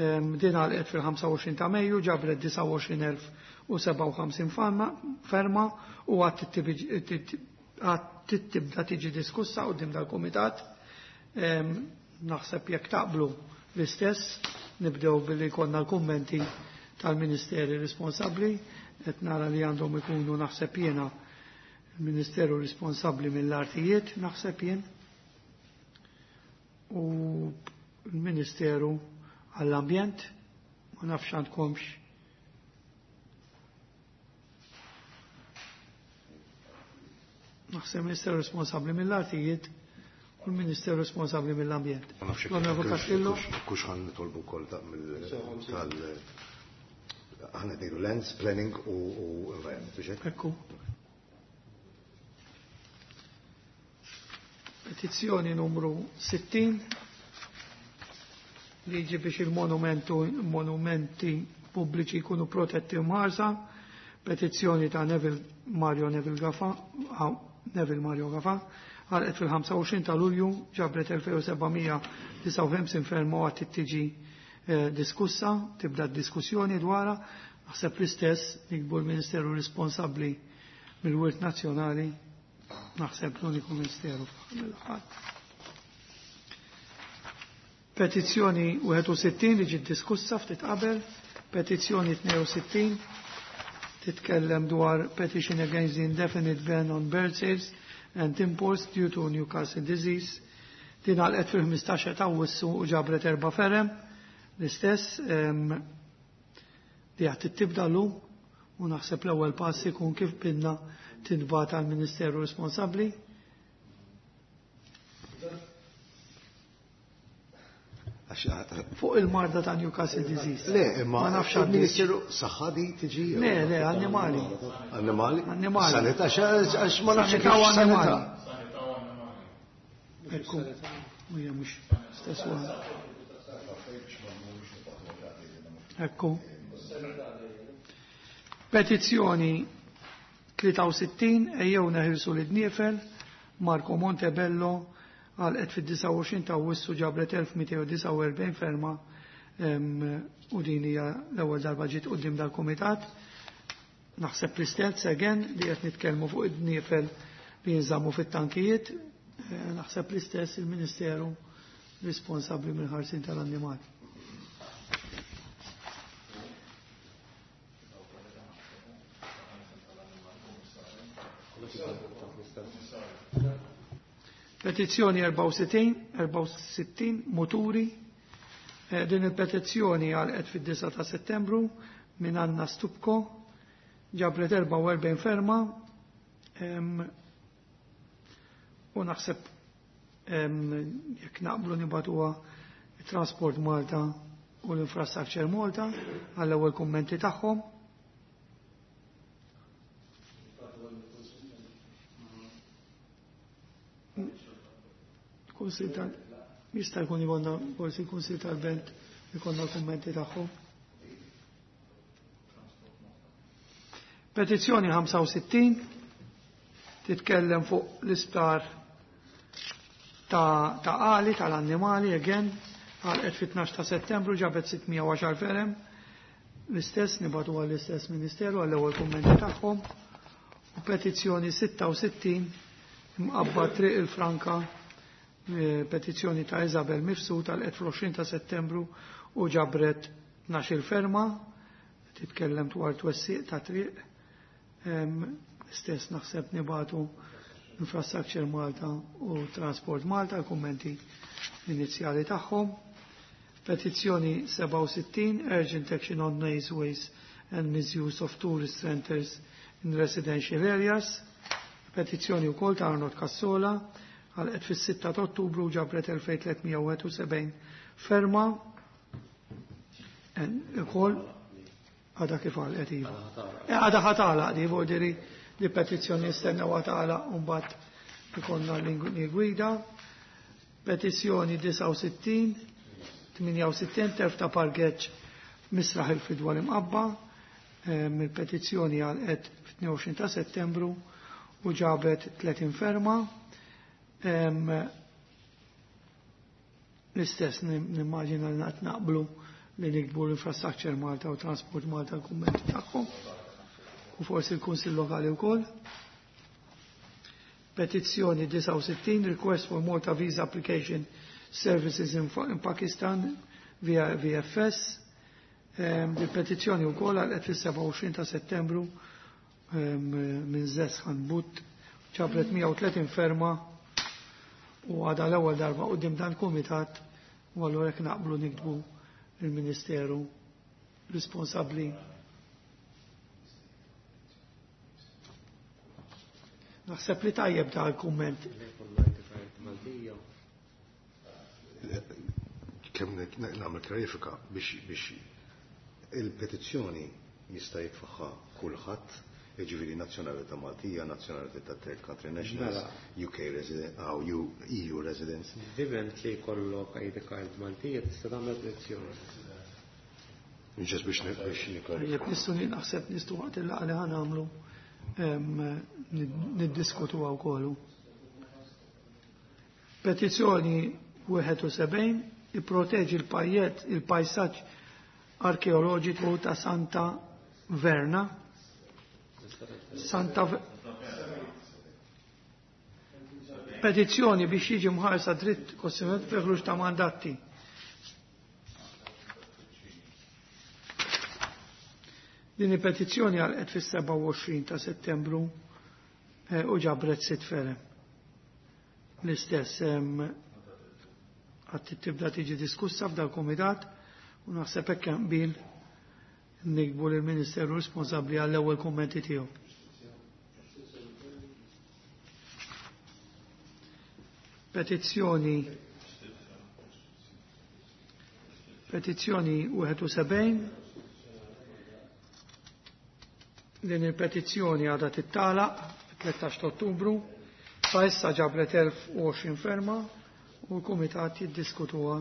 Em, din għalqet fil-ħamsa u għoxrin ta' Mejju, ġabret disgħa u għoxrin elf u sebgħa u ħamsin ferma, ferma u għad tibda tiġi diskussa quddiem dal-Kumitat. Em, naħseb jekk taqblu l-istess, nibdew billi jkollna l-kummenti tal-Ministeri responsabbli, qed nara li għandhom ikunu naħseb jiena il-Ministeru responsabbli mill-artijiet, naħseb jien, u l-Ministeru għall-ambjent, ma nafx għandkomx. Naħseb il-Ministeru responsabbli mill-artijiet u l-Ministeru responsabbli mill-ambjent. Ma nafx jekk L-Onorevoli kux- Castillo? kux-, kux ħan nitolbu wkoll ta' mill-, tal-, ħan qed ngħidu lands, planning u, u environment, biex hekk? Ekku. Petizzjoni numru sittin, liġi biex il-monumentu, monumenti pubbliċi jkunu protetti u mħarsa, petizzjoni ta' Neville Mario Neville Gafa, ah, Neville Mario Gafa, għalqet fil-ħamsa u għoxrin ta' Lulju, ġabret elfejn u sebgħamija disgħa u ħamsin ferma u għad tiġi, eh, diskussa, tibda diskussjoni dwarha, naħseb l-istess nikbu l-Ministeru responsabbli mill-Wirt Nazzjonali, naħseb l-uniku Ministeru fl-aħħar. Petizzjoni wieħed u sittin li ġiet diskussa ftit qabel, petizzjoni tnejn u sittin titkellem dwar petition against the indefinite ban on bird sales and imports due to Newcastle disease. Din għalqet fil-ħmistax ta' Awwissu u ġabret erba' ferem, l-istess, em, li għad tibda llum u naħseb l-ewwel pass ikun kif bidna tintbagħat għall-Ministeru responsabbli. Fuq il-marda ta' Newcastle disease. Le, imma Ma nafx għaddi. il-Ministeru saħħa di tiġi jew? Le, le, annimali. Annimali? Annimali. Sanità, għax, għax ma nafx Sanità u kif sanità. annimali. Ekku, u hija mhux stess waħda. Ekku. Petizzjoni tlieta u sittin, ejjew neħilsu l-dniefel, Marco Montebello, għalqet fid-disgħa u għoxrin ta' Awwissu ġabret elf mitejn u disgħa u erbgħin ferma, em, u din hija l-ewwel darba ġiet quddiem dal-kumitat. Naħseb l-istess again li qed nitkellmu fuq id-dniefel li jinżammu fit-tankijiet, eh, naħseb l-istess il-Ministeru responsabbli mill-ħarsien tal-annimali. Petizzjoni erbgħa u sittin, erbgħa u sittin, muturi. Eh, din il-petizzjoni għalqet fid-disgħa ta' Settembru minn Anna Stupko, ġabret erbgħa u erbgħin ferma, em, u naħseb, em, jekk naqblu nibatuha Transport Malta u l-Infrastructure Malta għall-ewwel kummenti tagħhom. Kunsil tal-, jista' jkun ikollna forsi l-Kunsil tal-Belt ikollna l-kummenti tagħhom. Petizzjoni ħamsa u sittin titkellem fuq l-isptar ta' ta' għali tal-annimali again għalqet fit-tnax ta' Settembru ġabet sitt mija u għaxar firem. L-istess nibagħtu għall-istess Ministeru għall-ewwel kummenti tagħhom. U petizzjoni sitta u sittin Mqabba Triq il-Franka, eh, petizzjoni ta' Isabel Mifsud għalqet fl-għoxrin ta' Settembru u ġabret tnax-il ferma, titkellem dwar twessiq ta' triq. Istess naħseb nibagħtu Infrastructure Malta u Transport Malta l-kummenti inizjali tagħhom. Petizzjoni sebgħa u sittin, Urgent Action on Noise Waste and Misuse of Tourist Centers in Residential Areas. Petizzjoni wkoll ta' Arnold Cassola għalqet fis-sitta ta' Ottubru, ġabret elfejn tliet mija u wieħed u sebgħin ferma. Ukoll għadha kif għalqet, iva. Eh, għadha ħa tagħlaq di, vuol li petizzjoni jistennew għatala u mbagħad ikollna l gwida. Petizzjoni disgħa u sittin, tmienja u sittin, telf ta' parkeġġ Misraħ il-Fidwa l-Imqabba, il-petizzjoni għalqet fit-tnejn u għoxrin ta' Settembru u ġabet tletin ferma. L-istess nimmaġina li naqt naqblu li niktbu l-Infrastructure Malta u Transport Malta l-kummenti tagħhom u forsi l-Kunsill Lokali wkoll. Petizzjoni disgħa u sittin, request for Malta Visa Application Services in, in Pakistan via V F S. Um, il-petizzjoni wkoll għalqet fis-sebgħa u għoxrin ta' Settembru um, minn Zeshan But, ġabret mija u tletin ferma u għada l-ewwel darba quddiem dan kumitat u allura jekk naqblu niktbu il-Ministeru responsabbli. Naħseb li tajjeb ta' l-kumment. Kemm nagħmel kjarifika biex biex il-petizzjoni jista' jitfaħħa kulħadd, jiġifieri nazzjonalità Maltija, nazzjonalità ta' third country nationals, U K resident, aw E U residents. Diment li jkollok I D card Maltija tista' tagħmel petizzjoni. Ġes biex biex niklarifika. Jekk nistgħu, naħseb nistgħu waqt il-laqgħa li ħa nagħmlu niddiskutu wkoll. Petizzjoni wieħed u sebgħin, ipproteġi l-pajjet il-pajsaġġ arkeoloġiku ta' Santa Verna. Santa V Petizzjoni biex jiġi mħarsa dritt kostituzzjonali fi ħruġ ta' mandati. Din il-petizzjoni għalqet fis-sebgħa u għoxrin ta' Settembru eh, u ġabret sitt ferem. L-istess għad tibda tiġi diskussa f'dal komitat u naħseb hekk hemm qbil niktbu lill-Ministeru responsabbli għall-ewwel kummenti tiegħu. Petizzjoni Petizzjoni wieħed u sebgħin. Din il-petizzjoni għadha tittalaq fit-tlettax ta' Ottubru, sa issa ġabret elf u għoxrin ferma u l-Kumitat jiddiskutuha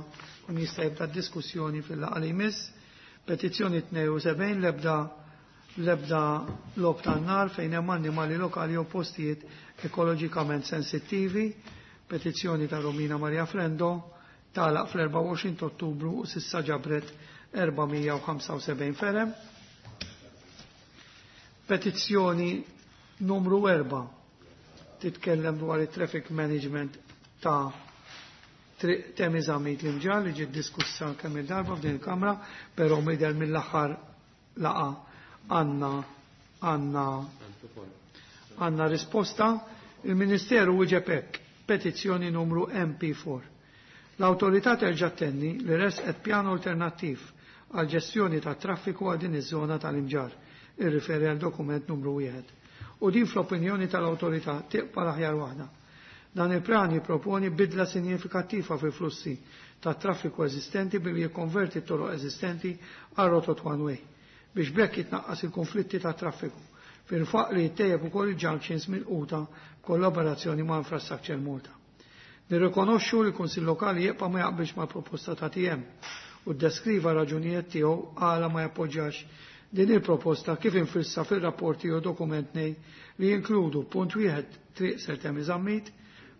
kun jista' jibda diskussjoni fil-laqgħa li jmiss. Petizzjoni tnejn u sebgħin, l-ebda l-ebda logħob tan-nar fejn hemm annimali lokali jew postijiet ekoloġikament sensittivi. Petizzjoni ta' Romina Maria Frendo tagħlaq fl-erbgħa u għoxrin ta' Ottubru u s'issa ġabret erba' mija u ħamsa u sebgħin ferem. Petizzjoni numru erbgħa titkellem dwar it-traffic management ta' Triq Temi Zammit l-Imġarr li ġiet diskussa kemm il-darba f'din il-Kamra, però midher mill-aħħar laqgħa għandna għandna għandna risposta. Il-Ministeru wieġeb hekk, petizzjoni numru M P erba'. L-awtorità terġa' tenni li resqet pjan alternattiv għal ġestjoni ta' traffiku għal din iż-żona tal-Imġarr, irriferi għal dokument numru wieħed. U din fl-opinjoni tal-awtorità tibqa' l-aħjar waħda. Dan il-pjan jipproponi bidla sinjifikattiva fil-flussi ta' traffiku eżistenti billi jikkonverti t-toroq eżistenti għal rotot one way biex b'hekk jitnaqqas il-konflitti ta' traffiku fil-faq li jittejjeb ukoll il-junctions milquta kollaborazzjoni ma' Infrastructure Malta. Nirrikonoxxu li l-Kunsill Lokali jibqa' ma jaqbilx mal-proposta ta' T M u ddeskriva raġunijiet tiegħu għala ma jappoġġjax din il-proposta kif infissa fil-rapporti u dokument nej li jinkludu punt wieħed Triq Sir Temi Zammit,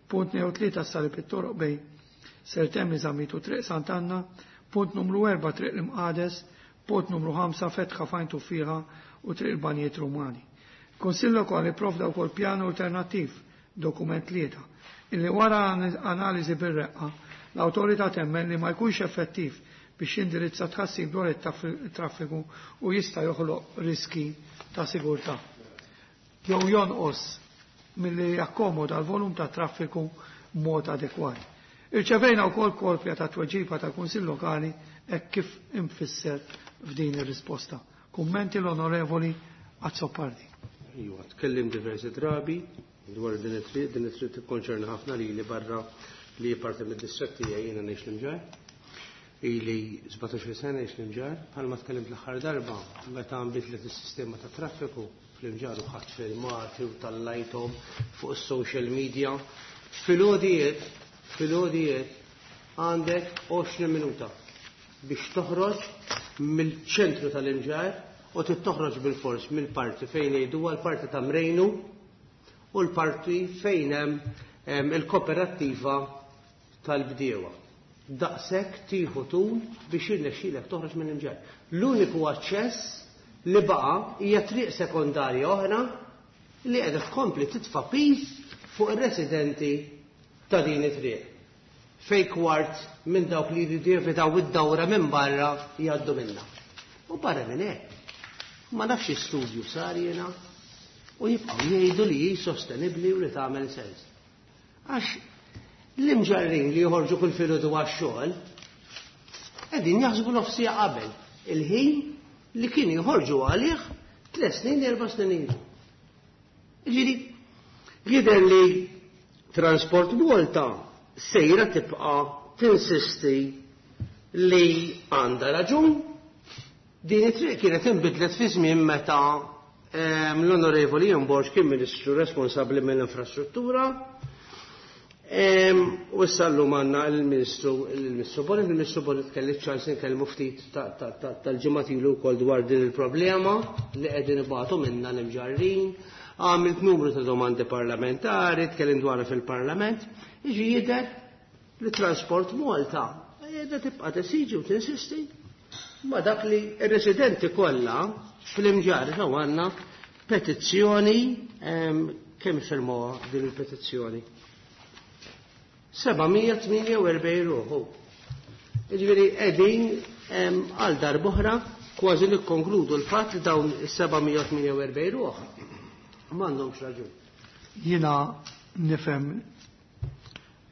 Punt tnejn u tlieta salib it-toroq bejn Sir Temi Zammit u Triq Sant'Anna, punt numru erba' Triq l-Imqades, punt numru ħamsa Fetħa Fajn Tuffieħa u Triq il-Banjiet Rumani. Kunsill Lokali provda wkoll pjan alternattiv, dokument tlieta, illi wara analiżi bir-reqqa l-awtorità temmen li ma jkunx effettiv biex jindirizza tħassib dwar it-traffiku u jista' joħloq riski ta' sigurtà. Jew jonqos milli jakkomoda l-volum ta' traffiku b'mod adekwat. Irċevejna wkoll kopja ta' tweġiba tal-Kunsill Lokali hekk kif imfisser f'din ir-risposta. Kummenti l-Onorevoli Azzopardi. Iva, tkellim diversi drabi dwar din it-triq, din it-triq tikkonċerna ħafna lili barra li parti mid-distrett tiegħi jiena ngħix l-Imġarr. Ili sbatax-il sena ngħix l-Imġarr, bħalma tkellimt l-aħħar darba meta nbidlet is-sistema ta' traffiku fl-Imġarr u ħadd filmati u tallajthom fuq is-social media. Fil-għodijiet, fil-għodijiet għandek għoxrin minuta biex toħroġ mill-ċentru tal-Imġarr u tittoħroġ bil-fors mill-parti fejn jgħidu l-parti ta' Mrejnu u l-parti fejn hemm il-kooperattiva tal-bdiewa. Daqshekk tieħu tul biex jirnexxielek toħroġ mill-Imġarr. L-uniku aċċess li baqa' hija triq sekondarja oħra li qiegħda tkompli titfa' piż fuq ir-residenti ta' din it-triq. Fej kwart minn dawk li jridu jevitaw id-dawra minn barra jgħaddu minnha. U barra minn hekk, ma nafx studju sar jiena u jibqgħu jgħidu li hi sostenibbli u li tagħmel sens. Għax l-imġarrin li joħorġu kull filgħodu għax-xogħol qegħdin jaħsbu nofsija qabel il-ħin li kienu joħorġu għalih tliet snin, erba' snin ilu. Ġifieri, jidher li Transport Malta sejra tibqa' tinsisti li għandha raġun. Din it-triq kienet inbidlet fi żmien meta, ehm, l-Onorevoli Ian Borg kien Ministru responsabbli mill-infrastruttura. Ehm, u issa llum għandna l-Ministru, il-Ministru Bonett, il-Ministru Bonett kelli ċans nkellmu ftit ta-, ta-, ta-, tal-ġimgħat ilu wkoll dwar din il-problema li qegħdin ibatu minna l-imġarrin. Għamilt numru ta' domandi parlamentari, tkellim dwarha fil-Parlament, jiġi jidher li Transport Malta qiegħda tibqa' tesiġi u tinsisti ma dak li r-residenti kollha fl-Imġarr ġew għandna petizzjoni, ehm, kemm firmuha din il-petizzjoni? seba' mija tmienja u erbgħin ruħu. Jiġifieri qegħdin, ehm, għal darb'oħra kważi nikkonkludu l-fatt li dawn is-seba' mija tmienja u erbgħin ruħ m'għandhomx raġun. Jiena nifhem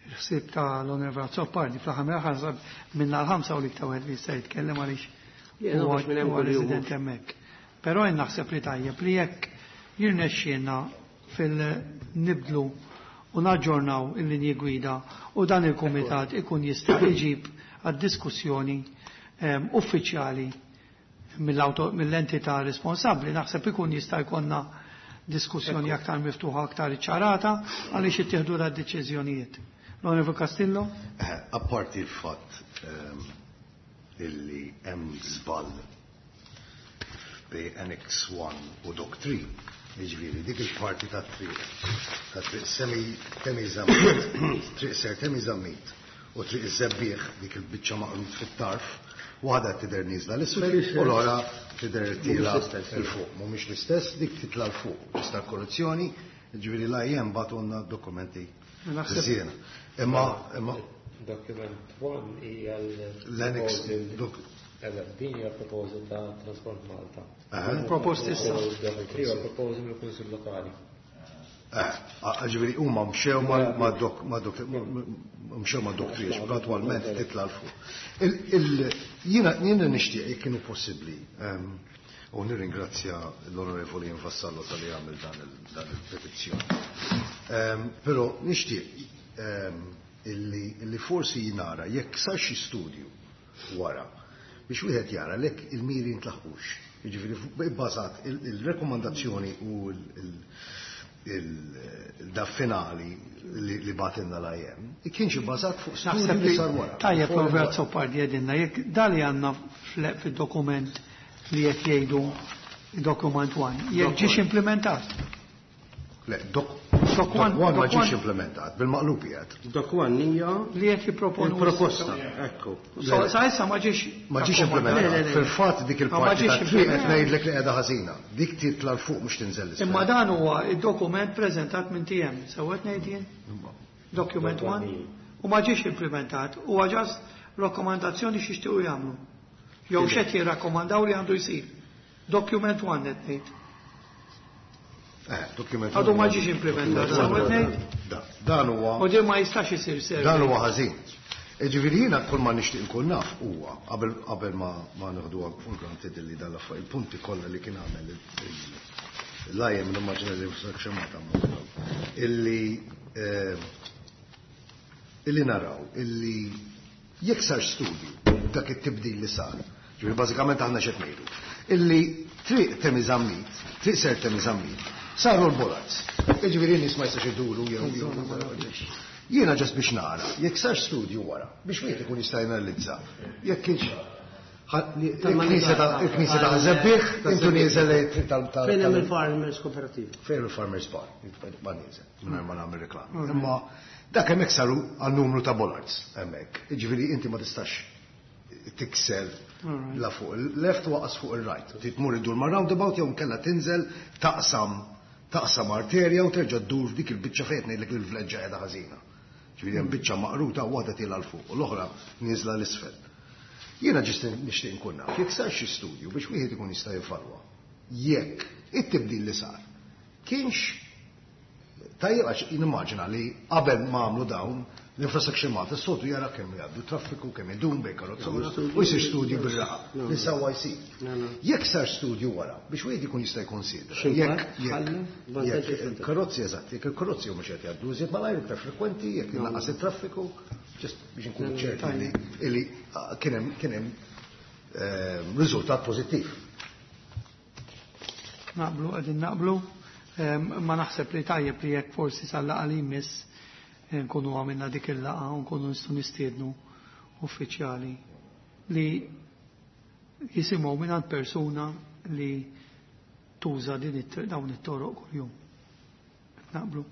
il-ħsieb ta' l-Onorevoli Azzopardi fl-aħħar mill-aħħar minna l-ħamsa u l-iktar wieħed li jista' jitkellem għaliex Jiena huwa mhux minn hemm huwa kuljum. resident hemmhekk. Però jien naħseb li tajjeb li jekk jirnexxielna fil-nibdlu u naġġornaw il-linji gwida u dan il-kumitat ikun jista' iġib għad-diskussjoni, ehm, uffiċjali mill-auto-, mill-entità responsabbli, naħseb ikun jista' jkollna diskussjoni aktar miftuħa, aktar iċċarata għaliex ittieħdu da deċiżjonijiet. L-Onorevoli Castillo? Eh, apparti il-fatt, ehm, illi hemm żball bej Annex one u Doc three, jiġifieri dik il-parti ta' triq, ta' triq semi Temi Zammit, triq Sir Temi Zammit u triq iż-Żebbieħ, dik il-biċċa maqrut fit-tarf, waħda tidher nieżla l-isfel u l-oħra tidher tiela 'l fuq. Mhumiex l-istess, dik titla' 'l fuq. Tista' korruzzjoni, jiġifieri la jem bagħtulna dokumenti Naħseb- żiena. Imma, imma Document one hija l- L-annex proposal. dok- Eżatt, din hija proposal ta' Transport Malta. Aha. Proposti issa. Document three huwa proposal mill-Kunsill Lokali. Eh, ġifieri huma mxew ma' ma' dok, ma' dok, mxew ma' dok three, gradwalment titla' 'l fuq. Il-, il-, jiena, jiena nixtieq jekk kienu possibbli, ehm, u nirringrazzja l-Onorevoli Vassallo tal-li għamel dan il-, dan il-petizzjoni. Ehm, però nixtieq, ehm, illi, illi forsi jinara jekk sar xi studju wara biex wieħed jara lek il-miri ntlaħqux. Jiġifieri bbażat il-, il-rekomandazzjoni u il-, il-, il-da finali li, li batinna l-I M, kienx ibbażat fuq studju Naħseb li li sar wara. Tajjeb, Fuq Robert wara. Azzopardi għedinna, jekk dali għandna fl-, fil-dokument li qed jgħidu dokument one, jekk ġiex implementat. Le, dok-, Doc one ma ġiex implementat, bil-maqlub qiegħed. Doc one hija li qed jipproponu il-proposta, ekku. Sa issa ma ġiex ma ġiex implementat. Fil-fatt dik il-parti ta' triq qed ngħidlek li qiegħda ħażina. Dik titla' 'l fuq mhux tinżel l-isfel. Imma dan huwa id-dokument preżentat minn T M, sewwa qed ngħid jien? Document one u ma ġiex implementat, huwa ġast rakkomandazzjoni x'jixtiequ jagħmlu. Jew x'qed jirrakkomandaw li għandu jsir. Document one qed ngħid. Għadu ma ġiex implementat, dan huwa. U din ma jistax isir servi. Dan huwa ħażin. Ġifieri jiena kull ma nixtieq inkun naf huwa qabel qabel ma ma nieħduha for granted li dan l-affarijiet il-punti kollha li kien għamel l-I M nimmaġina li Infrastructure Malta illi illi naraw illi jekk sar studju dak it-tibdil li sar, ġifieri bażikament aħna x'qed ngħidu, illi triq Temi Zammit, triq Sir Temi Zammit, saru l-bollards. Jiġifieri n-nies ma jistax iduru jew jiena ġast biex nara, jekk sar studju wara, biex wieħed ikun jista' janalizza, jekk kienx il-knisja ta' Żebbiħ, intu nieżel tal Fejn hemm il-Farmers Cooperative. Fejn il-Farmers Bar, ma nieżel, mingħajr ma nagħmel reklam. Imma dak hemmhekk saru għal numru ta' bollards hemmhekk. Jiġifieri inti ma tistax tikser la fuq il-left waqas fuq il-right. Titmur iddur ma' roundabout jew nkella tinżel taqsam taqsam arterja u terġa' ddur f'dik il-biċċa fejn ngħidlek li l-vleġġa qiegħda ħażina. Ġifieri hemm biċċa maqruta waħda tiela' l fuq u l-oħra nieżla l isfel. Jiena ġist nixtieq inkun naf jekk sar xi studju biex wieħed ikun jista' jevalwa jekk it-tibdil li sar kienx tajjeb għax nimmaġina li qabel ma għamlu dawn l-Infrastructure Malta s-soltu jara kemm jgħaddu traffiku, kemm idum bejn karozza u jsir studju bir-raqa li sewwa jsir. Jekk sar studju wara biex wieħed ikun jista' jkonsidra. Jekk karozzi eżatt, jekk il-karozzi huma qed jgħaddu iżjed malajr iktar frekwenti, jekk innaqqas it-traffiku, ġest biex inkunu ċerti li kien hemm kien hemm riżultat pożittiv. Naqblu, qegħdin naqblu, ma naħseb li tajjeb li jekk forsi sal-laqgħa li jmiss nkunu għamilna dik il-laqgħa u nkunu nistgħu nistiednu uffiċjali li jisimgħu mingħand persuna li tuża din dawn it-toroq kuljum. Naqblu.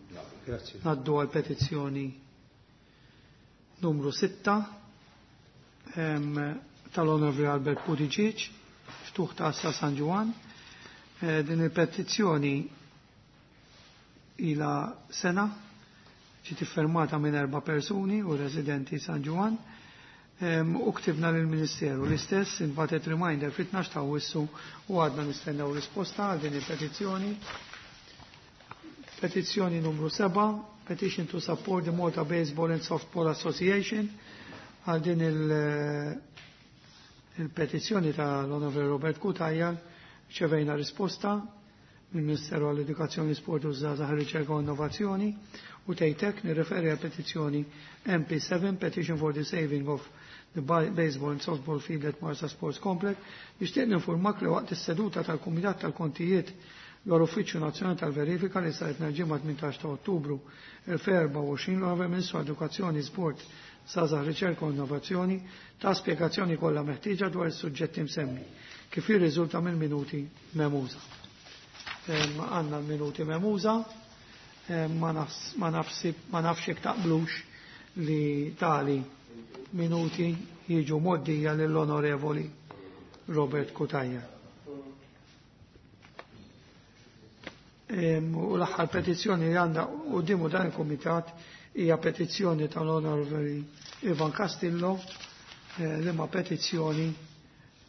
Grazzi. Ngħaddu għal petizzjoni numru sitta tal-Onorevoli Albert Buttigieg, ftuħ ta' Assa San Ġwann. Din il-petizzjoni ila sena ġiet iffirmata minn erba' persuni u residenti San Ġwann u ktibna lill-Ministeru. L-istess inbatet reminder fit-tnax ta' Awwissu u għadna nistennew risposta għal din il-petizzjoni. Petizzjoni numru seba', petition to support the Malta Baseball and Softball Association. Għal din il-petizzjoni tal-Onorevoli Robert Cutajar ċevejna risposta mill-Ministeru għall-Edukazzjoni, Sport u Żgħażagħ, Riċerka u Innovazzjoni u tgħidlek nirreferi għal petizzjoni M P seven, petition for the saving of the baseball and softball field at Marsa Sports Complex. Nixtieq ninformak li waqt is-seduta tal-Kumitat tal-Kontijiet dwar Uffiċċju Nazzjonali tal-Verifika li saret nhar ġimgħa tmintax ta' Ottubru elfejn u erbgħa u għoxrin l-Onorevoli Ministru Edukazzjoni, Sport, Żgħażagħ, Riċerka u Innovazzjoni ta' spjegazzjoni kollha meħtieġa dwar is-suġġetti msemmi kif jirriżulta mill-minuti memuża. Għandna l-minuti memuża, ma nafx jekk taqblux li tali minuti jiġu moddija lill-Onorevoli Robert Cutajar. U l-aħħar petizzjoni li għandha quddiemu dan il-Kumitat hija petizzjoni tal-Onorevoli Ivan Castillo, li ma petizzjoni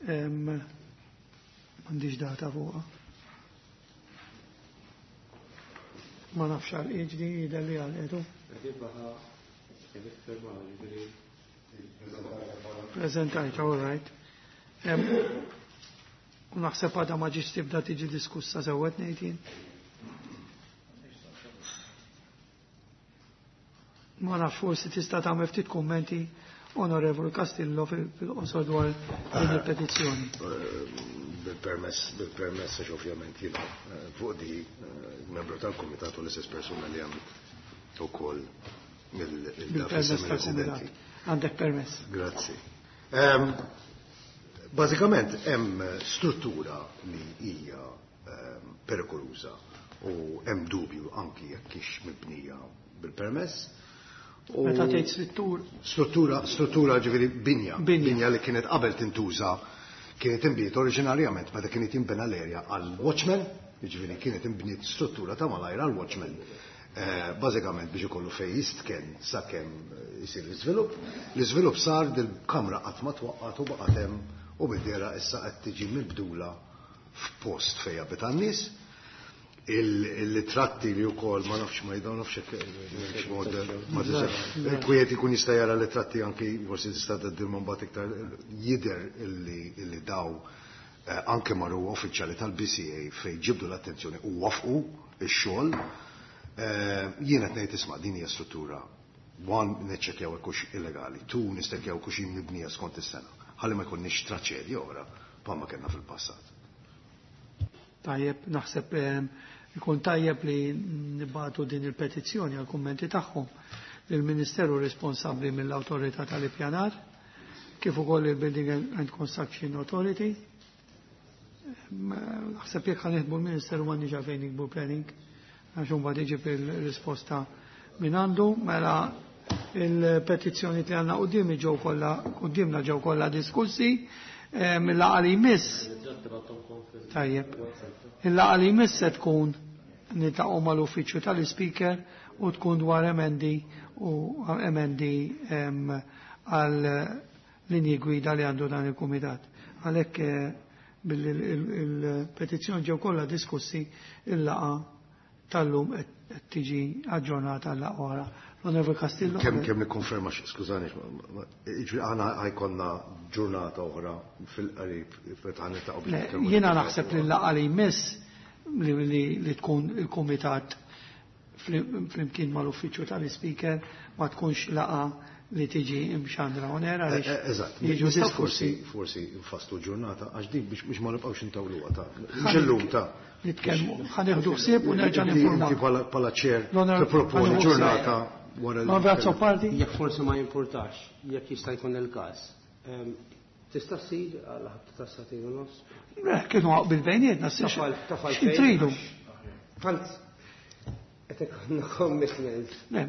m'għandix data fuqha. Ma nafx għal iġdi jidher li għal edu. Prezentajta, all right. U naħseb għadha ma ġietx tibda tiġi diskussa sewwet ngħid jien. Ma nafx forsi tista' tagħmel ftit kummenti Onorevoli Castillo fil-qosor dwar din il-petizzjoni. Bil-permess, bil-permess għax ovvjament jiena fuq di membru tal-Kumitat u l-istess persuna li għamilt ukoll Bil-permess tal-Kumitat. Għandek permess. Grazzi. Bażikament hemm struttura li hija perikoluża U hemm dubju anki jekk hix mibnija bil-permess. U Meta tgħid struttur Struttura, struttura ġifieri binja, Binja. binja li kienet qabel tintuża kienet inbniet oriġinarjament meta kienet jinbena l-area għal watchman, jiġifieri kienet inbniet struttura ta' malajr għal watchman. Eh, bażikament biex ikollu fejn jistken sakemm eh, isir l-iżvilupp. L-iżvilupp sar dil-kamra qatt ma twaqqat u baqgħet hemm u bid-dera issa qed tiġi mibdula f'post fejn jabita n-nies. Il-ritratti li wkoll ma nafx ma jdaw nafx hekk ma tistax. Kwiet ikun jista' jara l-ritratti anki forsi tista' tgħaddilhom mbagħad iktar jidher illi illi daw eh, anke marru uffiċjali tal-B C A fejn ġibdu l-attenzjoni u wafqu ix-xogħol. Eh, Jiena qed ngħid, isma', din hija struttura, one, neċċekkjaw hekk hux illegali, two, niċċekkjaw hekk hux mibnija skont is-sena. Ħalli ma jkunniex traċedja oħra bħalma kellna fil-passat. Tajjeb, naħseb ehm, ikun tajjeb li nibagħtu din il-petizzjoni għal kummenti tagħhom lill-Ministeru responsabbli mill-Awtorità tal-Ippjanar, kif ukoll il-Building and Construction Authority. Ehm, Naħseb jekk ħa niktbu l-Ministeru m'għandniex għalfejn niktbu planning, għax imbagħad iġib il-risposta minn għandu, mela il-petizzjoni li għandna quddiem ġew kollha quddiemna ġew kollha diskussi, ehm, il-laqgħa li jmiss. Tajjeb. Il-laqgħa li jmiss se tkun niltaqgħu mal-uffiċċju tal-Speaker u tkun dwar emendi u emendi em, għal linji gwida li għandu dan il-kumitat. Għalhekk eh, billi il-petizzjoni ġew kollha diskussi, il-laqgħa tal-lum qed tiġi aġġornata għal laqgħa oħra. L-Onorevole Castillo. Kemm kemm nikkonferma, skużani, jiġri aħna ħa jkollna ġurnata oħra fil-qarib meta ħa niltaqgħu biex Le, nitkellmu. jiena naħseb li l-laqgħa li jmiss li, li, li tkun il-kumitat flimkien mal-uffiċċju tal-Speaker ma tkunx laqgħa li tiġi imxandra on air Eh, għaliex eh, Eżatt, jiġu nistgħu diskussi. forsi forsi nfasslu ġurnata għax dik biex biex ma nibqgħux intawluha ta' mhux illum ta' Nitkellmu, ħa nieħdu ħsieb u nerġa' Inti ninformak. bħala bħala chair L-Onorevole tipproponi ħa nieħu ġurnata wara li. L-Onorevole Azzopardi? Jekk forsi ma jimpurtax, jekk jista' jkun il-każ. Ehm, Tista' ssir għal ħabta ta' sagħtejn u nofs? Eh, kienu bil bejnietna, Tafal, tafal xi tridu? Tant qed ikollna commitment. Le,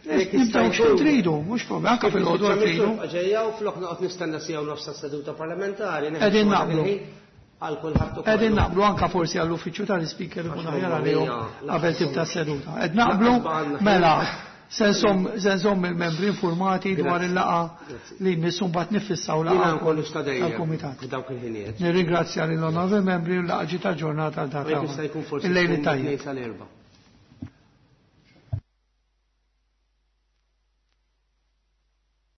nibdew xi tridu, mhux problem, anke fil-għodu tridu. Ġejja u flok noqgħod nistenna siegħa u nofs seduta parlamentari. Qegħdin naqblu. Għal kulħadd ukoll. Qegħdin naqblu, anka forsi għall-uffiċċju tal-Speaker ikun aħjar għalihom qabel tibda s-seduta. Qed naqblu, mela se nżomm il-membri informati dwar il-laqgħa li jmissu, mbagħad nifissaw Jiena laqgħa nkollu sta dejjem tal-kumitat. f'dawk il-ħinijiet. Nirringrazzja lill-onorevoli membri u l-laqgħa ġiet aġġornata għal U jekk data. jista' jkun forsi Il-lejl tkun tajjeb. tnejn sal-erba'.